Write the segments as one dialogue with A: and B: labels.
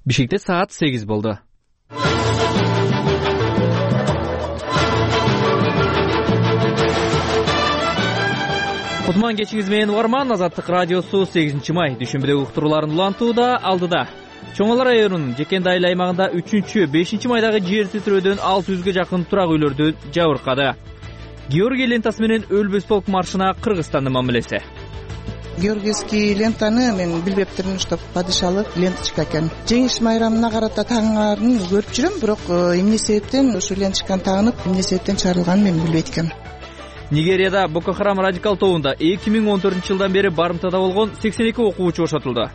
A: Бишкекте саат 8 болду. Кутман кечиңиз менен угарман. Азаттык радиосу 8-май дүйшөмбүдөгү уктурууларын улантууда алдыда. Чоңалар районунун Жекенди айыл аймагында 3-5 майдагы жер титирөөдөн 600га жакын турак үйлөрдү жабыркады. Георгий лентасы менен өлбөс полк маршына Кыргызстандын мамилеси.
B: Георгиевский лентаны мен билбептирмин, что падышалык ленточка экен. Жеңиш майрамына карата тагынгарын көрүп жүрөм, бирок эмне себептен ушул ленточканы тагынып, эмне себептен чыгарылганын мен билбейт экенмин.
A: Нигерияда Боко Харам радикал тобунда 2014-жылдан бери барымтада болгон 82 окуучу бошотулду.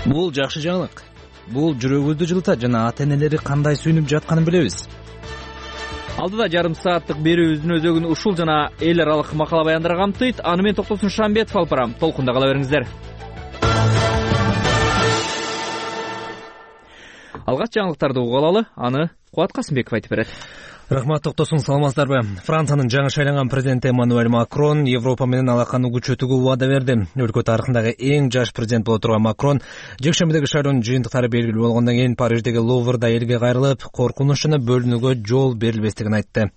C: Бул жакшы жаңылык. Бул жүрөгүбүздү жылытат жана ата-энелери кандай сүйүнүп жатканын билебиз.
A: Алдыда жарым сааттык берүүбүздүн өзөгүн ушул жана эл аралык макала баяндар камтыйт. Аны менен Токтосун Шамбетов алып барам. Толкунда кала бериңиздер. Алгач жаңылыктарды угуп алалы, аны Кубат Касымбеков айтып берет.
C: Рахмат, Токтосун, саламатсыздарбы? Франциянын жаңы шайланган президенти Эммануэль Макрон Европа менен алаканы күчөтүүгө убада берди. Өлкө тарыхындагы эң жаш президент боло турган Макрон жекшембидеги шайлоонун жыйынтыктары белгилүү болгондон кийин Париждеги Луврда элге кайрылып, коркунуч жана бөлүнүүгө жол берилбестигин айтты.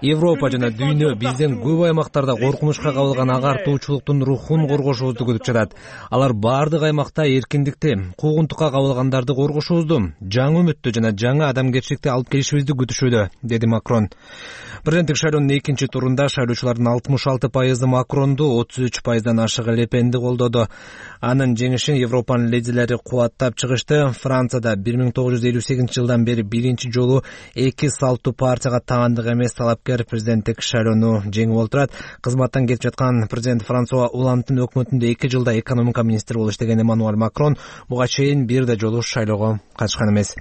C: Европа жана дүйнө бизден көп аймактарда коркунучка кабылган агартуучулуктун рухун коргошубузду күтүп жатат. Алар бардык аймакта эркиндикти, куугунтукка кабылгандарды коргошубузду, жаңы үмүттү жана жаңы адамгерчиликти алып келишибизди күтүшүүдө, деди Макрон. Президенттик шайлоонун экинчи турунда шайлоочулардын 66% Макронду, 33% ашык Ле Пенди колдоду. Анын жеңишин Европанын лидерлери кубаттап чыгышты. Францияда 1958-жылдан бери биринчи жолу эки салттуу партияга таандык эмес талапкер президенттик шайлоону жеңип отурат. Кызматтан кетип жаткан президент Франсуа Олландтын өкмөтүндө 2 жылда экономика министри болуп иштеген Эммануэль Макрон буга чейин бир да жолу шайлоого катышкан эмес.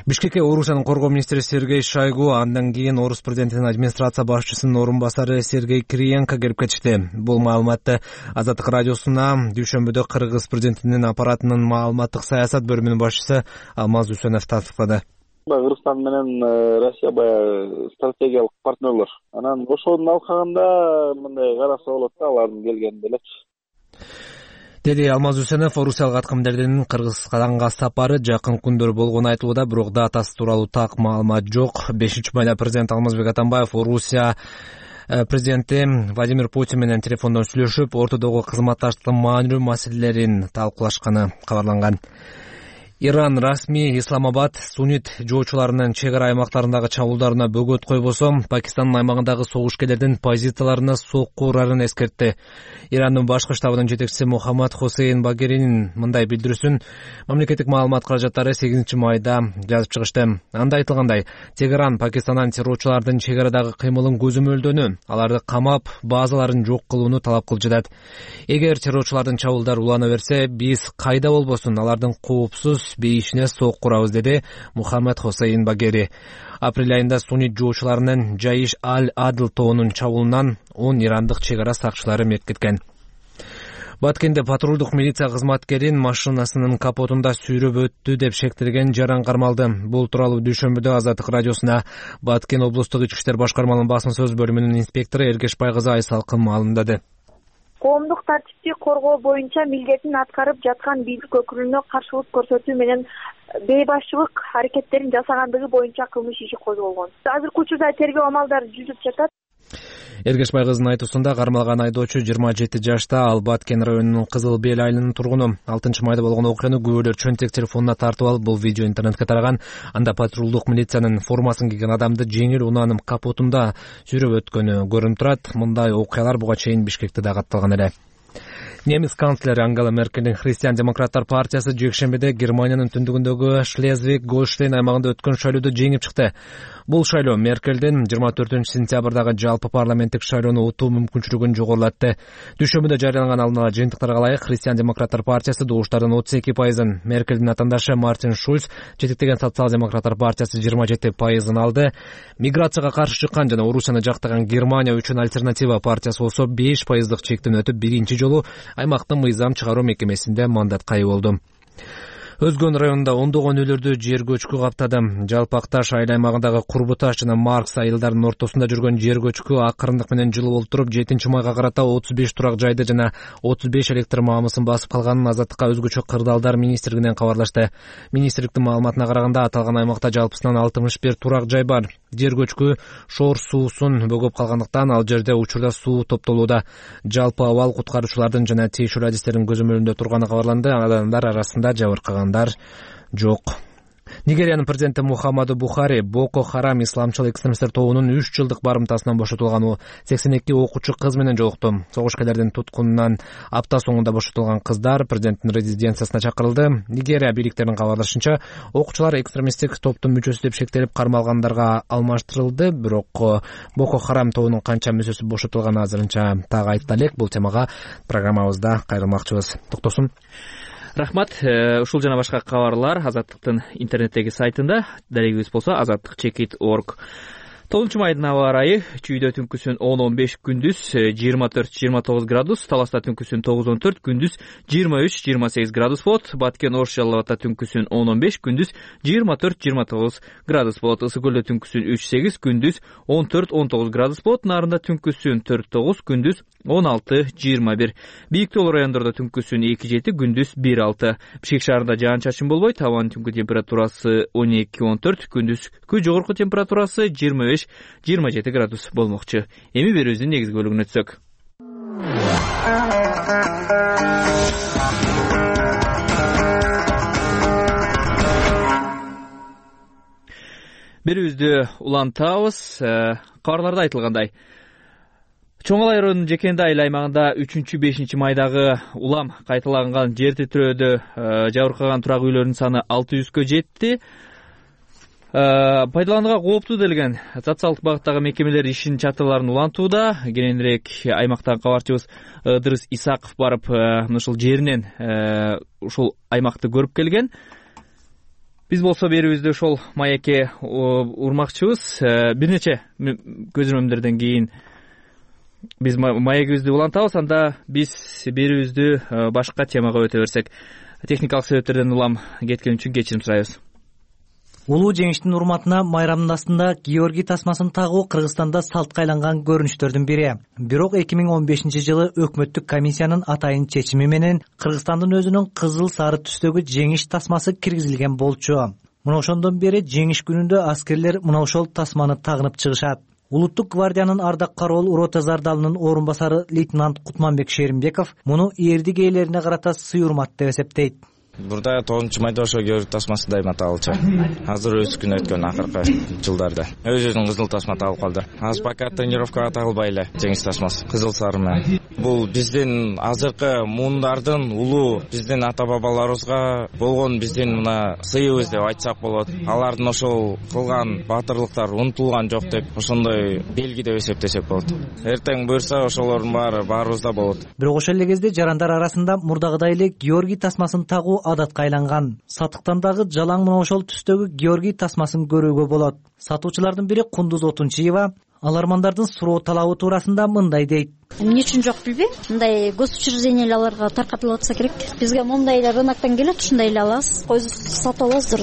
C: Бишкекке Орусиянын коргоо министри Сергей Шойгу, андан кийин Орус президентинин администрация башчысынын орун басары Сергей Кириенко келип кетишти. Бул маалыматты Азаттык радиосуна дүйшөмбүдө Кыргыз президентинин аппаратынын маалыматтык саясат бөлүмүнүн башчысы Алмаз Үсөнов тастыктады.
D: Кыргызстан менен Россия баягы стратегиялык партнерлор. Анан ошодун алкагында мындай караса болот да, алардын келгенде элечи,
C: деди Алмаз Үсөнов. Орусиялык аткамдердин Кыргызстанга сапары жакын күндөр болгону айтылууда, бирок датасы тууралуу так маалымат жок. 5-майда президент Алмазбек Атамбаев Орусия президенти Владимир Путин менен телефондон сүйлөшүп, ортодогу кызматташтыктын маанилүү маселелерин талкуулашканы кабарланган. Иран расмий Исламабад суннит жоочуларынын чек ара аймактарындагы чабуулдарына бөгөт койбосо, Пакистандын аймагындагы согушкерлердин позицияларына сокку урарын эскертти. Ирандын башкы штабынын жетекчиси Мухаммад Хосейн Багеринин мындай билдирүүсүн мамлекеттик маалымат каражаттары 8-майда жазып чыгышты. Анда айтылгандай, Тегеран Пакистандан террорчулардын чек арадагы кыймылын көзөмөлдөнү, аларды камап, базаларын жок кылууну талап кылып жатат. Эгер террорчулардын чабуулдары улана берсе, биз кайда болбосун алардын коопсуз бейишине сокку урабыз, деди Мухаммад Хосейн Багери. Апрель айында суннит жоочуларынын Жаиш аль-Адл тобунун чабуулунан 10 ирандык чек ара сакчылары мерт кеткен. Баткенде патрулдук милиция кызматкерин машинасынын капотунда сүйрөп өттү деп шектелген жаран кармалды. Бул тууралуу дүйшөмбүдө Азаттык радиосуна Баткен облустук ички иштер башкармалыгынын басма сөз бөлүмүнүн инспектору Эргешбай кызы Айсалкын маалымдады.
E: Коомдук тартипти коргоо боюнча милдетин аткарып жаткан бийлик өкүлүнө каршылык көрсөтүү менен бейбашчылык аракеттерин жасагандыгы боюнча кылмыш иши козголгон. Азыркы учурда тергөө амалдары жүрүп жатат.
C: Эргешбай кызынын айтуусунда кармалган айдоочу 27 жашта, ал Баткен районунун Кызыл Бел айылынын тургуну. 6-майда болгон окуяны күбөлөр чөнтек телефонуна тартып алып, бул видео интернетке тараган. Анда патрулдук милициянын формасын кийген адамды жеңил унаанын капотунда сүйрөп өткөнү көрүнүп турат. Мындай окуялар буга чейин Бишкекте да катталган эле. Немис канцлери Ангела Меркельдин Христиан-демократтар партиясы жекшембиде Германиянын түндүгүндөгү Шлезвиг-Гольштейн аймагында өткөн шайлоодо жеңип чыкты. Бул шайлоо Меркельдин 24-сентябрдагы жалпы парламенттик шайлоону утуу мүмкүнчүлүгүн жогорулатты. Дүйшөмбүдө жарыяланган алдын ала жыйынтыктарга ылайык Христиан-демократтар партиясы добуштардын 32%, Меркельдин атаандашы Мартин Шульц жетектеген социал-демократтар партиясы 27% алды. Миграцияга каршы чыккан жана Орусияны жактаган Германия үчүн альтернатива партиясы болсо 5% чектен өтүп, биринчи жолу аймактын мыйзам чыгаруу мекемесинде мандатка ээ болду. Өзгөн районунда ондогон үйлөрдү жер көчкү каптады. Жалпы Акташ айыл аймагындагы Курбуташ жана Маркс айылдарынын ортосунда жүргөн жер көчкү акырындык менен жылып олтуруп 7-майга карата 35 турак жайды жана 35 электр маамысын басып калганын Азаттыкка өзгөчө кырдаалдар министрлигинен кабарлашты. Министрликтин маалыматына караганда аталган аймакта жалпысынан 61 турак жай бар. Жер көчкү Шор суусун бөгөп калгандыктан ал жерде учурда суу топтолууда. Жалпы абал куткаруучулардын жана тийиштүү адистердин көзөмөлүндө турганы кабарланды. Адамдар арасында жабыркагандар жок. Нигериянын президенти Мухаммаду Бухари Боко Харам исламчыл экстремисттер тобунун 3 жылдык барымтасынан бошотулган 82 окуучу кыз менен жолукту. Согушкерлердин туткунунан апта соңунда бошотулган кыздар президенттин резиденциясына чакырылды. Нигерия бийликтеринин кабарлашынча, окуучулар экстремисттик топтун мүчөсү деп шектелип кармалгандарга алмаштырылды. Бирок Боко Харам тобунун канча мүчөсү бошотулганы азырынча так айтыла элек. Бул темага программабызда кайрылмакчыбыз. Токтосун.
A: Рахмат. Ушул жана башка кабарлар Азаттыктын интернеттеги сайтында. Дарегибиз болсо azattik.org. 9-майдын аба ырайы чүйдө түнкүсүн 10-15, күндүз 24-29 градус, Таласта түнкүсүн 9-14, күндүз 23-28 градус болот. Баткен Ош Жалал Абадта түнкүсүн 10-15, күндүз 24-29 градус болот. Ысык көлдө түнкүсүн 3-8, күндүз 14-19 градус болот. Нарында түнкүсүн 4-9, күндүз 16-21. Бийик тоолуу райондордо түнкүсүн 2-7, күндүз 1-6. Бишкек шаарында жаан-чачын болбойт. Абанын түнкү температурасы 12-14, күндүзкү жогорку температурасы 25-27 градус болмокчу. Эми берүүбүздүн негизги бөлүгүнө өтсөк. Берүүбүздү улантабыз. Кабарларда айтылгандай, Чоң Ала районунун Жекенди айыл аймагында 3-5 майдагы улам кайталанган жер титирөөдө жабыркаган турак үйлөрдүн саны 600гө жетти. Пайдаланууга кооптуу делген социалдык багыттагы мекемелер ишин чатырларын улантууда. Кененирээк аймактан кабарчыбыз Ыдырыс Исаков барып, ушул жеринен ушул аймакты көрүп келген. Биз болсо берүүбүздү ошол маекке урмакчыбыз. Бир нече көзөмөлдөрдөн кийин биз маегибизди улантабыз. Анда биз берүүбүздү башка темага өтө берсек, техникалык себептерден улам кеткен үчүн кечирим сурайбыз.
F: Улуу жеңиштин урматына майрамдын астында Георгий тасмасын тагуу Кыргызстанда салтка айланган көрүнүштөрдүн бири. Бирок 2015-жылы өкмөттүк комиссиянын атайын чечими менен Кыргызстандын өзүнүн кызыл сары түстөгү жеңиш тасмасы киргизилген болчу. Мына ошондон бери жеңиш күнүндө аскерлер мына ошол тасманы тагынып чыгышат. Улуттук гвардиянын ардак кароол рота зардалынын орун басары лейтенант Кутманбек Шеримбеков муну эрдик ээлерине карата сый урмат деп эсептейт.
G: Бурда 9-майда ошо Георгий тасмасы дайыма тагылчу. Азыр өз күнү өткөн акыркы жылдарда. Өзүнүн кызыл тасма тагылып калды. Азыр пока тренировкага тагылбай эле жеңиш тасмасы кызыл сары менен. Бул биздин азыркы муундардын улуу биздин ата бабаларыбызга болгон биздин мына сыйыбыз деп айтсак болот. Алардын ошол кылган баатырлыктары унутулган жок деп ошондой белги деп эсептесек болот. Эртең буюрса ошолордун баарыбызда болот.
F: Бирок ошол эле кезде жарандар арасында мурдагыдай эле Георгий тасмасын тагуу адатка айланган. Сатыктан дагы жалаң мына ошол түстөгү Георгий тасмасын көрүүгө болот. Сатуучулардын бири Кундуз Отунчиева алармандардын суроо талабы туурасында мындай дейт.
H: Эмне үчүн жок билбейм. Мындай госучрежденияларга таркатылып атса керек. Бизге моундай эле рыноктон келет, ушундай эле алабыз. Кой сатып алабыз,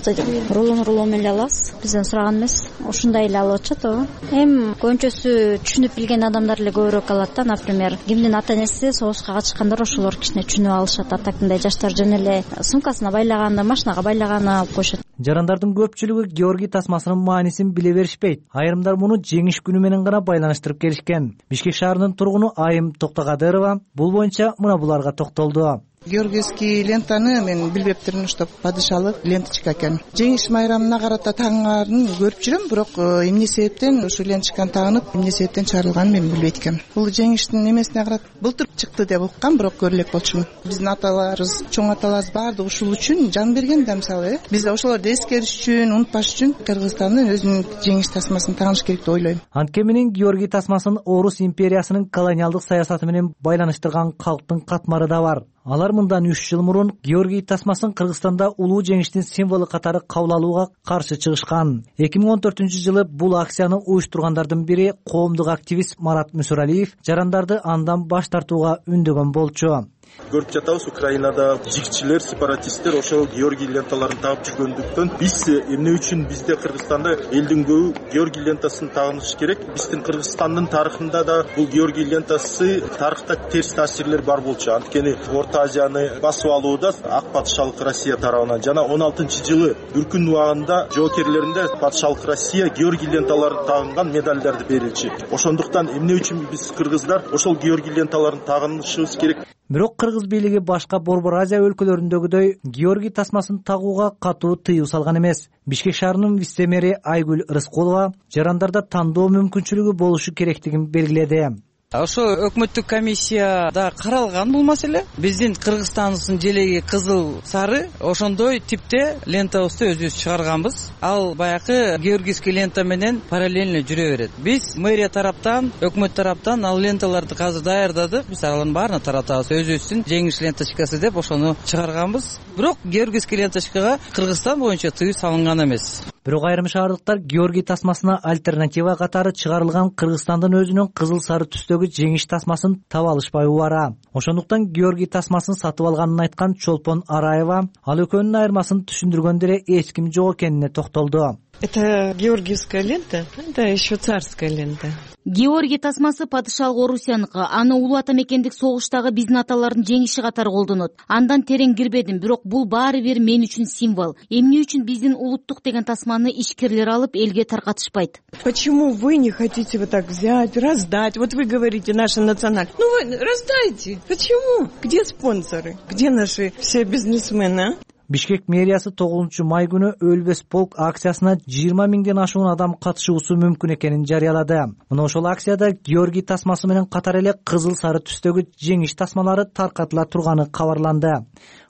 H: рулон менен алабыз. Бизден сураган эмес. Ушундай эле алып атышат ооба. Көбүнчөсү түшүнүп билген адамдар эле көбүрөөк алат да. Например, кимдин ата-энеси согушка катышкандар ошолор кичине түшүнүп алышат. Атакындай жаштар жөн эле сумкасына байлаганы, машинага байлаганы алып коюшат.
F: Жарандардын көпчүлүгү Георгий тасмасынын маанисин биле беришпейт. Айрымдар муну жеңиш күнү менен гана байланыштырып келишкен. Бишкек шаарынын тургуну Айым Токтогадырова бул боюнча мына буларга токтолду.
B: Георгиевский лентаны мен билбептирмин, что падышалык ленточка экен. Жеңиш майрамына карата тагынгарын көрүп жүрөм, бирок эмне себептен ушул ленточканы тагынып, эмне себептен чыгарылганын мен билбейт экенмин. Бул жеңиштин эмесине карата былтыр чыкты деп уккам, бирок көрө элек болчумун. Биздин аталарыбыз, чоң аталарыбыз баардыгы ушул үчүн жан берген да, мисалы, биз ошолорду эскериш үчүн, унутпаш үчүн Кыргызстандын өзүнүн жеңиш тасмасын тагыныш керек деп ойлойм.
F: Анткени менен Георгий тасмасын Орус империясынын колониалдык саясаты менен байланыштырган калктын катмары да бар. Алар мындан 3 жыл мурун Георгий тасмасын Кыргызстанда улуу жеңиштин символу катары кабыл алууга каршы чыгышкан. 2014-жылы бул акцияны уюштургандардын бири коомдук активист Марат Мүсөралиев жарандарды андан баш тартууга үндөгөн болчу.
I: Көрүп жатабыз, Украинада жигчилер, сепаратисттер ошол Георгий ленталарын тагып жүргөндүктөн биз эмне үчүн бизде Кыргызстанда элдин көбү Георгий лентасын тагынышы керек? Биздин Кыргызстандын тарыхында да бул Георгий лентасы тарыхта терс таасирлер бар болчу. Анткени Орто Азияны басып алууда ак патышалык Россия тарабынан жана 16-жылы Бүркүн убагында жоокерлеринде патышалык Россия Георгий ленталарын тагынган медалдарды берилчү. Ошондуктан эмне үчүн биз кыргыздар ошол Георгий ленталарын тагынышыбыз керек?
F: Бирок кыргыз бийлиги башка Борбор Азия өлкөлөрүндөгүдөй Георгий тасмасын тагууга катуу тыюу салган эмес. Бишкек шаарынын вице-мэри Айгүл Рыскулова жарандарда тандоо мүмкүнчүлүгү болушу керектигин белгиледи.
J: Ошо өкмөттүк комиссияда каралган бул маселе. Биздин Кыргызстандын желеги кызыл сары ошондой типте лентабызды өзүбүз чыгарганбыз. Ал баягы георгийский лента менен параллельно жүрө берет. Биз мэрия тараптан, өкмөт тараптан ал ленталарды азыр даярдадык. Биз алардын баарына таратабыз. Өзүбүздүн жеңиш ленточкасы деп ошону чыгарганбыз. Бирок георгийский ленточкага Кыргызстан боюнча тыюу салынган эмес.
F: Бирок айрым шаардыктар Георгий тасмасына альтернатива катары чыгарылган Кыргызстандын өзүнүн кызыл сары түстөгү жеңиш тасмасын таба алышпай убара. Ошондуктан Георгий тасмасын сатып алганын айткан Чолпон Араева ал экөөнүн айырмасын түшүндүргөндө эле эч ким жок экенине токтолду.
K: Это георгиевская лента, это еще царская лента.
L: Георгий тасмасы падышалык Орусияныкы. Аны улуу ата мекендик согуштагы биздин аталардын жеңиши катары колдонот. Андан терең кирбедим, бирок бул баары бир мен үчүн символ. Эмне үчүн биздин улуттук деген тасманы ишкерлер алып элге таркатышпайт?
K: Почему вы не хотите вот так взять, раздать? Вот вы говорите, наша национальность. Ну вы раздайте. Почему? Где спонсоры? Где наши все бизнесмены?
F: Бишкек мэриясы 9-май күнү өлбөс полк акциясына 20 миңден ашуун адам катышуусу мүмкүн экенин жарыялады. Мына ошол акцияда Георгий тасмасы менен катар эле кызыл сары түстөгү жеңиш тасмалары таркатыла турганы кабарланды.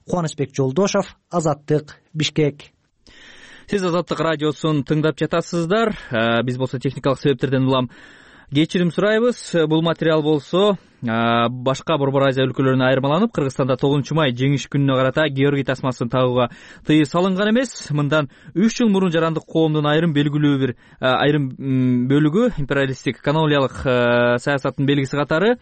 F: Кубанычбек Жолдошов, Азаттык, Бишкек.
A: Сиз Азаттык радиосун тыңдап жатасыздар. Биз болсо техникалык себептерден улам кечирим сурайбыз. Бул материал болсо башка Борбор Азия өлкөлөрүнө айырмаланып, Кыргызстанда 9-май жеңиш күнүнө карата Георгий тасмасын тагууга тыюу салынган эмес. Мындан 3 жыл мурун жарандык коомдун айрым бөлүгү империалисттик колониялык саясаттын белгиси катары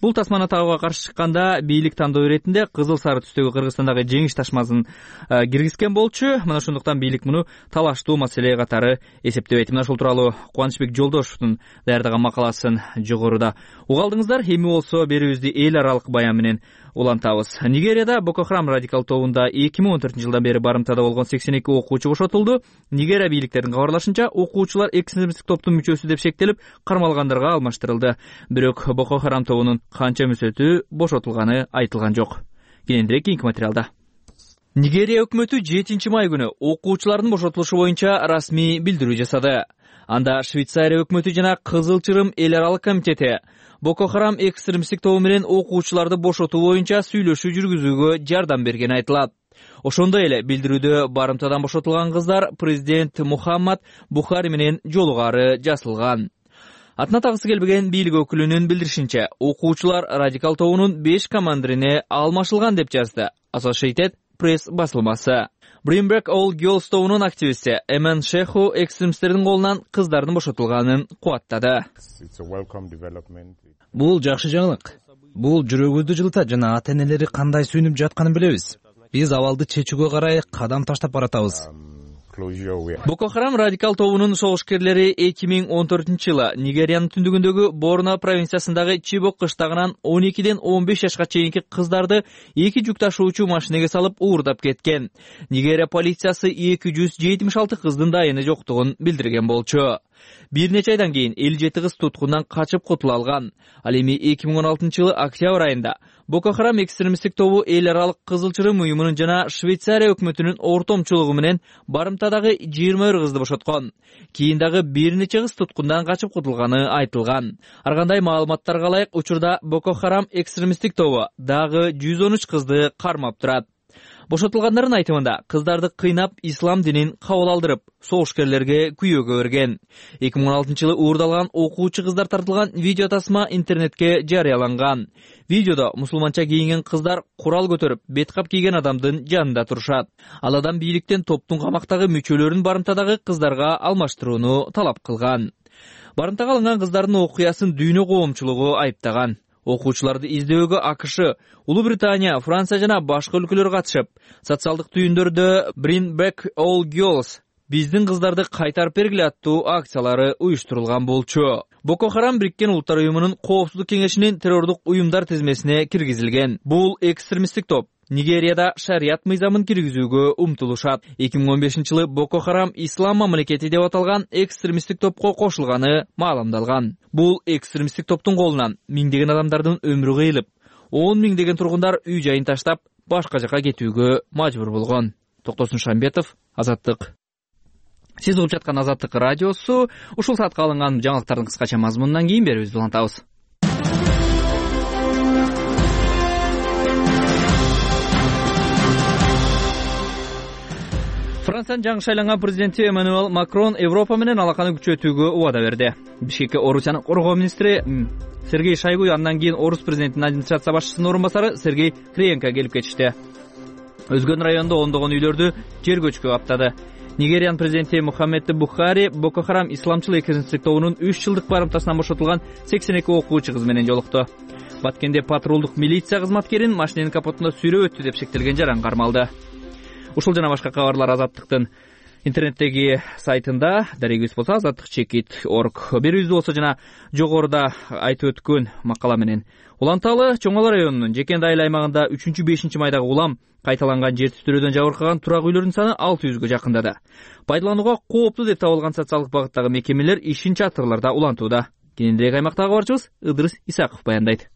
A: бул тасманы тагууга каршы чыкканда бийлик тандоо иретинде кызыл сары түстөгү Кыргызстандагы жеңиш тасмасын киргизген болчу. Мына ошондуктан бийлик муну талаштуу маселе катары эсептебейт. Мына ошол тууралуу Кубанычбек Жолдошовдун даярдаган макаласын жогоруда угалдыңыздар. Эми болсо берүүбүздү эл аралык баян менен улантабыз. Нигерияда Боко Харам радикал тобунда 2014-жылдан бери барымтада болгон 82 окуучу бошотулду. Нигерия бийликтеринин кабарлашынча, окуучулар экстремисттик топтун мүчөсү деп шектелип, кармалгандарга алмаштырылды. Бирок Боко Харам тобунун канча мүчөсү бошотулганы айтылган жок. Кийинирээк кийинки материалда. Нигерия өкмөтү 7-май күнү окуучулардын бошотулушу боюнча расмий билдирүү жасады. Анда Швейцария өкмөтү жана Кызыл Чырым эл аралык комитети Боко Харам экстремисттик тобу менен окуучуларды бошотуу боюнча сүйлөшүү жүргүзүүгө жардам бергени айтылат. Ошондой эле билдирүүдө барымтадан бошотулган кыздар президент Мухаммад Бухари менен жолугары жасалган. Атына тагысы келбеген бийлик өкүлүнүн билдиришинче, окуучулар радикал тобунун 5 командирине алмашылган деп жазды Associated Press басылмасы. Bring All Girls тобунун активисти Эмен Шеху экстремисттердин колунан кыздардын бошотулганын кубаттады.
C: Бул жакшы жаңылык. Бул жүрөгүбүздү жылытат жана ата-энелери кандай сүйүнүп жатканын билебиз. Биз абалды чечүүгө карай кадам таштап баратабыз.
A: Боко Харам радикал тобунун согушкерлери 2014-жылы Нигериянын түндүгүндөгү Борно провинциясындагы Чибок кыштагынан 12ден 15 жашка чейинки кыздарды 2 жүк ташуучу машинеге салып уурдап кеткен. Нигерия полициясы 276 кыздын дайыны жоктугун билдирген болчу. Бир нече айдан кийин 57 кыз туткундан качып кутула алган. Ал эми 2016-жылы октябрь айында Боко Харам экстремисттик тобу эл аралык Кызыл Чырым уюмунун жана Швейцария өкмөтүнүн ортомчулугу менен барымтадагы 21 кызды бошоткон. Кийин дагы бир нече кыз туткундан качып кутулганы айтылган. Ар кандай маалыматтарга ылайык, учурда Боко Харам экстремисттик тобу дагы 113 кызды кармап турат. Бошотулгандардын айтымында кыздарды кыйнап ислам динин кабыл алдырып, согушкерлерге күйөөгө берген. 2016-жылы уурдалган окуучу кыздар тартылган видео тасма интернетке жарыяланган. Видеодо мусулманча кийинген кыздар курал көтөрүп, беткап кийген адамдын жанында турушат. Ал адам бийликтен топтун камактагы мүчөлөрүн барымтадагы кыздарга алмаштырууну талап кылган. Барымтага алынган кыздардын окуясын дүйнө коомчулугу айыптаган. Окуучуларды издөөгө АКШ, Улуу Британия, Франция жана башка өлкөлөр катышып, социалдык түйүндөрдө Bring Back All Girls, биздин кыздарды кайтарып бергиле аттуу акциялары уюштурулган болчу. Боко Харам Бириккен Улуттар уюмунун Коопсуздук кеңешинин террордук уюмдар тизмесине киргизилген. Бул экстремисттик топ Нигерияда шарият мыйзамын киргизүүгө умтулушат. 2015-жылы Боко Харам Ислам мамлекети деп аталган экстремисттик топко кошулганы маалымдалган. Бул экстремисттик топтун колунан миңдеген адамдардын өмүрү кыйылып, 10 миңдеген тургундар үй жайын таштап, башка жака кетүүгө мажбур болгон. Токтосун Шамбетов, Азаттык. Сиз угуп жаткан Азаттык радиосу. Ушул саатка алынган жаңылыктардын кыскача мазмунунан кийин берүүбүздү улантабыз. Франциянын жаңы шайланган президенти Эммануэль Макрон Европа менен алаканы күчөтүүгө убада берди. Бишкекке Орусиянын коргоо министри Сергей Шойгу, андан кийин Орус президентинин администрация башчысынын орун басары Сергей Криенко келип кетишти. Өзгөн райондо ондогон үйлөрдү жер көчкү каптады. Нигериянын президенти Мухаммеду Бухари Боко Харам исламчыл экстремисттик тобунун 3 жылдык барымтасынан бошотулган 82 окуучу кыз менен жолукту. Баткенде патрулдук милиция кызматкерин машинанын капотунда сүйрөп өттү деп шектелген жаран кармалды. Ушул жана башка кабарлар Азаттыктын интернеттеги сайтында, дарегибиз болсо azattik.org. Берүүбүз болсо жана жогоруда айтып өткөн макала менен уланталы. Чоң Ала районунун Жекенди айыл аймагында 3-5 майдагы улам кайталанган жер титирөөдөн жабыркаган турак үйлөрдүн саны 600гө жакындады. Пайдаланууга кооптуу деп табылган социалдык багыттагы мекемелер ишин чатырларда улантууда. Кененирээк аймактагы кабарчыбыз Ыдырыс Исаков баяндайт.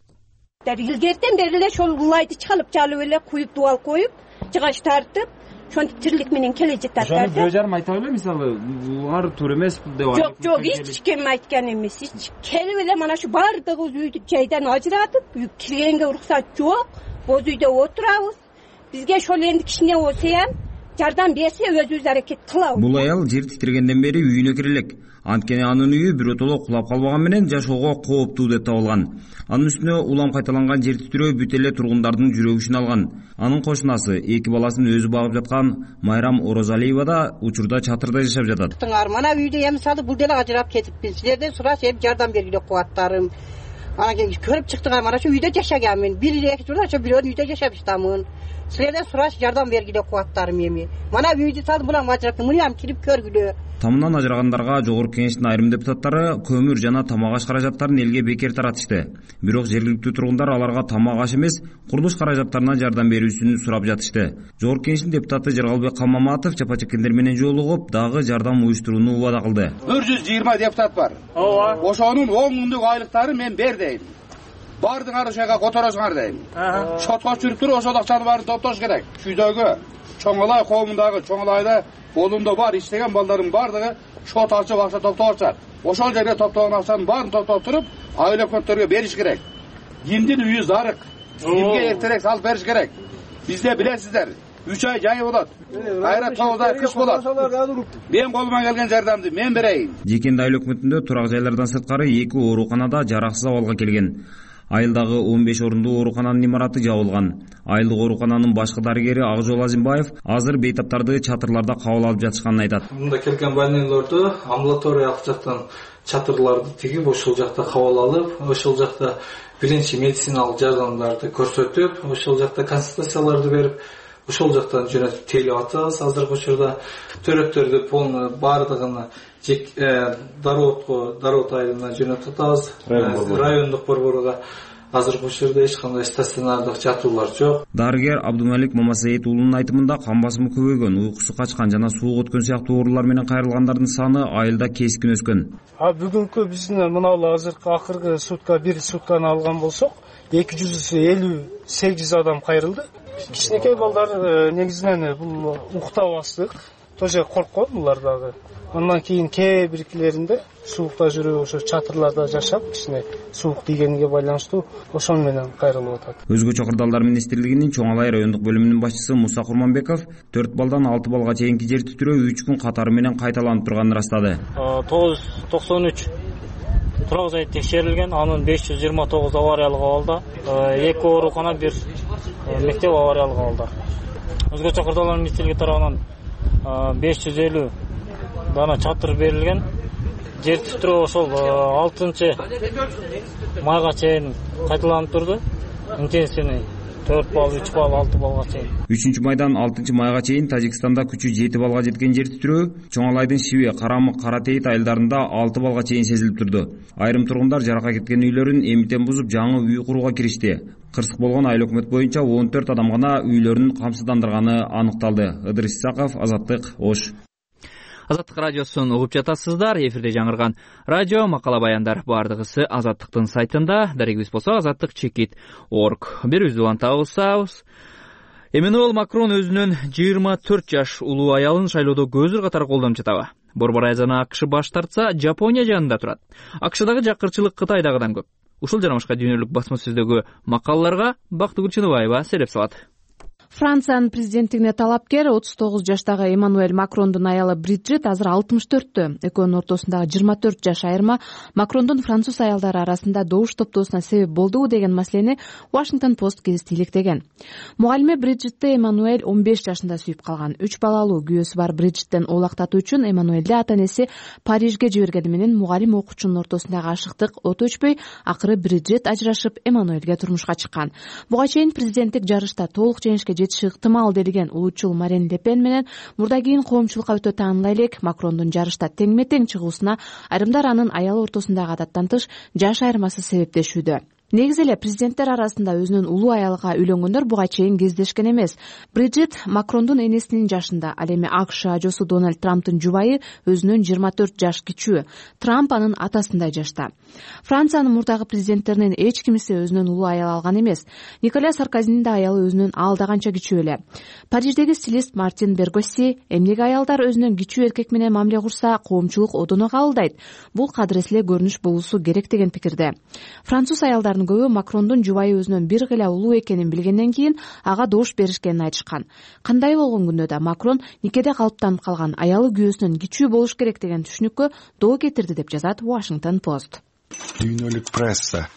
M: Илгертен бери эле ошол улайды чалып эле куюп дубал коюп, жыгач тартып, ошентип тирилик менен келе жатат.
N: Ошону бирөө жарым айта эле, мисалы, булар туура эмес деп айтып.
M: Жок, эч ким айткан эмес. Келип эле мана ушу бардыгыбыз үйдү жайдан ажыратып, киргенге уруксат жок, боз үйдө отурабыз. Бизге ошол энди кичине болсо жардам берсе өзүбүз аракет кылабыз.
O: Бул аял жер титиргенден бери үйүнө кире элек. Анткени анын үйү биротоло кулап калбаган менен жашоого кооптуу деп табылган. Анын үстүнө улам кайталанган жер титирөө бүт эле тургундардын жүрөгүн алган. Анын кошунасы 2 баласын өзү багып жаткан Майрам Орозалиева да учурда чатырда жашап жатат.
P: Мана үйдө мисалы бул деле ажырап кетиппин. Силерден сураш, жардам бергиле кубаттарым. Анан кийин көрүп чыктыңар, мана ушу үйдө жашаганмын. 1-2 жылда ошо бирөөнүн үйдө жашап жатамын. Силерден сураш, жардам бергиле кубаттарым эми. Мана үйдү салып булам ажырап, муну кирип көргүлө.
O: Тамынан ажырагандарга Жогорку Кеңештин айрым депутаттары көмүр жана тамак аш каражаттарын элге бекер таратышты. Бирок жергиликтүү тургундар аларга тамак аш эмес, курулуш каражаттарына жардам берүүсүн сурап жатышты. Жогорку Кеңештин депутаты Жаргалбек Калмаматов чапа чеккендер менен жолугуп, дагы жардам уюштурууну убада кылды.
Q: 120 депутат бар. Ооба. Ошонун 10 миңдик айлыктары мен бер дейм. Бардыңар ошога которосуңар дейм. Шотко чүрүп туруп ошол акчаны баарын топтош керек. Шүйдөгө Чоң Алай коомундагы Чоң Алайда болунда бар иштеген балдардын бардыгы шот ачып акча топтоп атышат. Ошол жерде топтогон акчанын баарын топтоп туруп, айыл өкмөттөргө бериш керек. Кимдин үйү зарык, кимге эртерээк салып бериш керек. Бизде билесиздер, 3 ай жайы болот. Кайра 9 ай кыш болот. Мен колуман келген жардамды мен берейин.
O: Жекенди айыл өкмөтүндө турак жайлардан сырткары 2 ооруканада жараксыз абалга келген. Айылдагы 15 орундуу оорукананын имараты жабылган. Айылдык оорукананын башкы дарыгери Акжол Азимбаев азыр бейтаптарды чатырларда кабыл алып жатышканын айтат.
R: Мында келген больнойлорду амбулаториялык жактан чатырларды тигип, ошол жакта кабыл алып, ошол жакта биринчи медициналык жардамдарды көрсөтүп, ошол жакта консультацияларды берип, ошол жактан жөнөтүп тейлеп атабыз. Азыркы учурда төрөттөрдү полный бардыгын Дароот айылына жөнөтүп атабыз. Райондук борборго азыркы учурда эч кандай стационардык жатуулар жок.
O: Дарыгер Абдумалик Мамасаид уулунун айтымында кан басымы көбөйгөн, уйкусу качкан жана суук өткөн сыяктуу оорулар менен кайрылгандардын саны айылда кескин өскөн.
S: Бүгүнкү биздин мына азыркы акыркы сутка бир сутканы алган болсок, 258 адам кайрылды. Кичинекей балдар негизинен бул уктабастык, тоже корккон булар дагы. Андан кийин кээ биркилеринде суукта жүрүп, ошо чатырларда жашап, кичине суук тийгениге байланыштуу ошон менен кайрылып атат.
O: Өзгөчө кырдаалдар министрлигинин Чоң Алай райондук бөлүмүнүн башчысы Муса Курманбеков 4 балдан 6 балга чейинки жер титирөө 3 күн катары менен кайталанып турганын ырастады.
T: 993 турак жай текшерилген, анын 529 авариялык абалда, 2 оорукана, 1 мектеп авариялык абалда. Өзгөчө кырдаалдар министрлиги тарабынан 550 дана чатыр берилген. жер титирөө ошол 6-майга чейин кайталанып турду. Интенсивный 4 балл, 3 балл, 6 баллга чейин.
O: 3-майдан 6-майга чейин Тажикстанда күчү 7 баллга жеткен жер титирөө Чоңалайдын Шиве, Карамык, Каратейит айылдарында 6 баллга чейин сезилип турду. Айрым тургундар жарака кеткен үйлөрүн эмитен бузуп жаңы үй курууга киришти. Кырсык болгон айыл өкмөт боюнча 14 адам гана үйлөрүн камсыздандырганы аныкталды. Ыдырыс Исаков, Азаттык, Ош.
A: Азаттык радиосун угуп жатасыздар. Эфирде жаңырган радио макала баяндар бардыгысы Азаттыктын сайтында. Дарегибиз болсо azattik.org. Берүүбүздү улантабыз. Эммануэль Макрон өзүнүн 24 жаш улуу аялын шайлоодо көзүр катары колдонуп жатабы? Борбор Азияны АКШ баш тартса, Жапония жанында турат. АКШдагы жакырчылык Кытайдагыдан көп. Ушул жана башка дүйнөлүк басма сөздөгү макалаларга Бактыгүл Чыныбаева сереп салат.
U: Франциянын президенттигине талапкер 39 жаштагы Эммануэль Макрондун аялы Бриджит азыр 64-тө. Экөөнүн ортосундагы 24 жаш айырма Макрондун француз аялдары арасында добуш топтоосуна себеп болдубу деген маселени Washington Post гезити иликтеген. Мугалиме Бриджитти Эммануэль 15 жашында сүйүп калган. 3 балалуу күйөөсү бар Бриджиттен оолактатуу үчүн Эммануэлди ата-энеси Парижге жибергени менен мугалим окуучунун ортосундагы ашыктык от өчпөй, акыры Бриджит ажырашып Эммануэльге турмушка чыккан. Буга чейин президенттик жарышта толук жеңишке жетиши ыктымал делген улуучул Марин Ле Пен менен мурда кийин коомчулукка өтө таанылай элек Макрондун жарышта теңме-тең чыгуусуна айрымдар анын аялы ортосундагы адаттан тыш жаш айырмасы себептешүүдө. Негизи эле президенттер арасында өзүнүн улуу аялга үйлөнгөндөр буга чейин кездешкен эмес. Бриджит Макрондун энесинин жашында, ал эми АКШ ажоосу Дональд Трамптын жубайы өзүнөн 24 жаш кичүү. Трамп анын атасындай жашта. Франциянын мурдагы президенттеринин эч кимиси өзүнөн улуу аял алган эмес. Николя Саркозинин да аялы өзүнөн алда канча кичүү эле. Париждеги стилист Мартин Бергосси эмнеге аялдар өзүнөн кичүү эркек менен мамиле курса, коомчулук одоно кабылдайт. Бул кадыресе эле көрүнүш болуусу керек деген пикирде. Француз аялдар көбү Макрондун жубайы өзүнөн бир гыйла улуу экенин билгенден кийин ага добуш беришкенин айтышкан. Кандай болгон күндө да Макрон никеде калыптанып калган аялы күйөөсүнөн кичүү болуш керек деген түшүнүккө доо кетирди деп жазат Washington Post.
V: Дүйнөлүк пресса.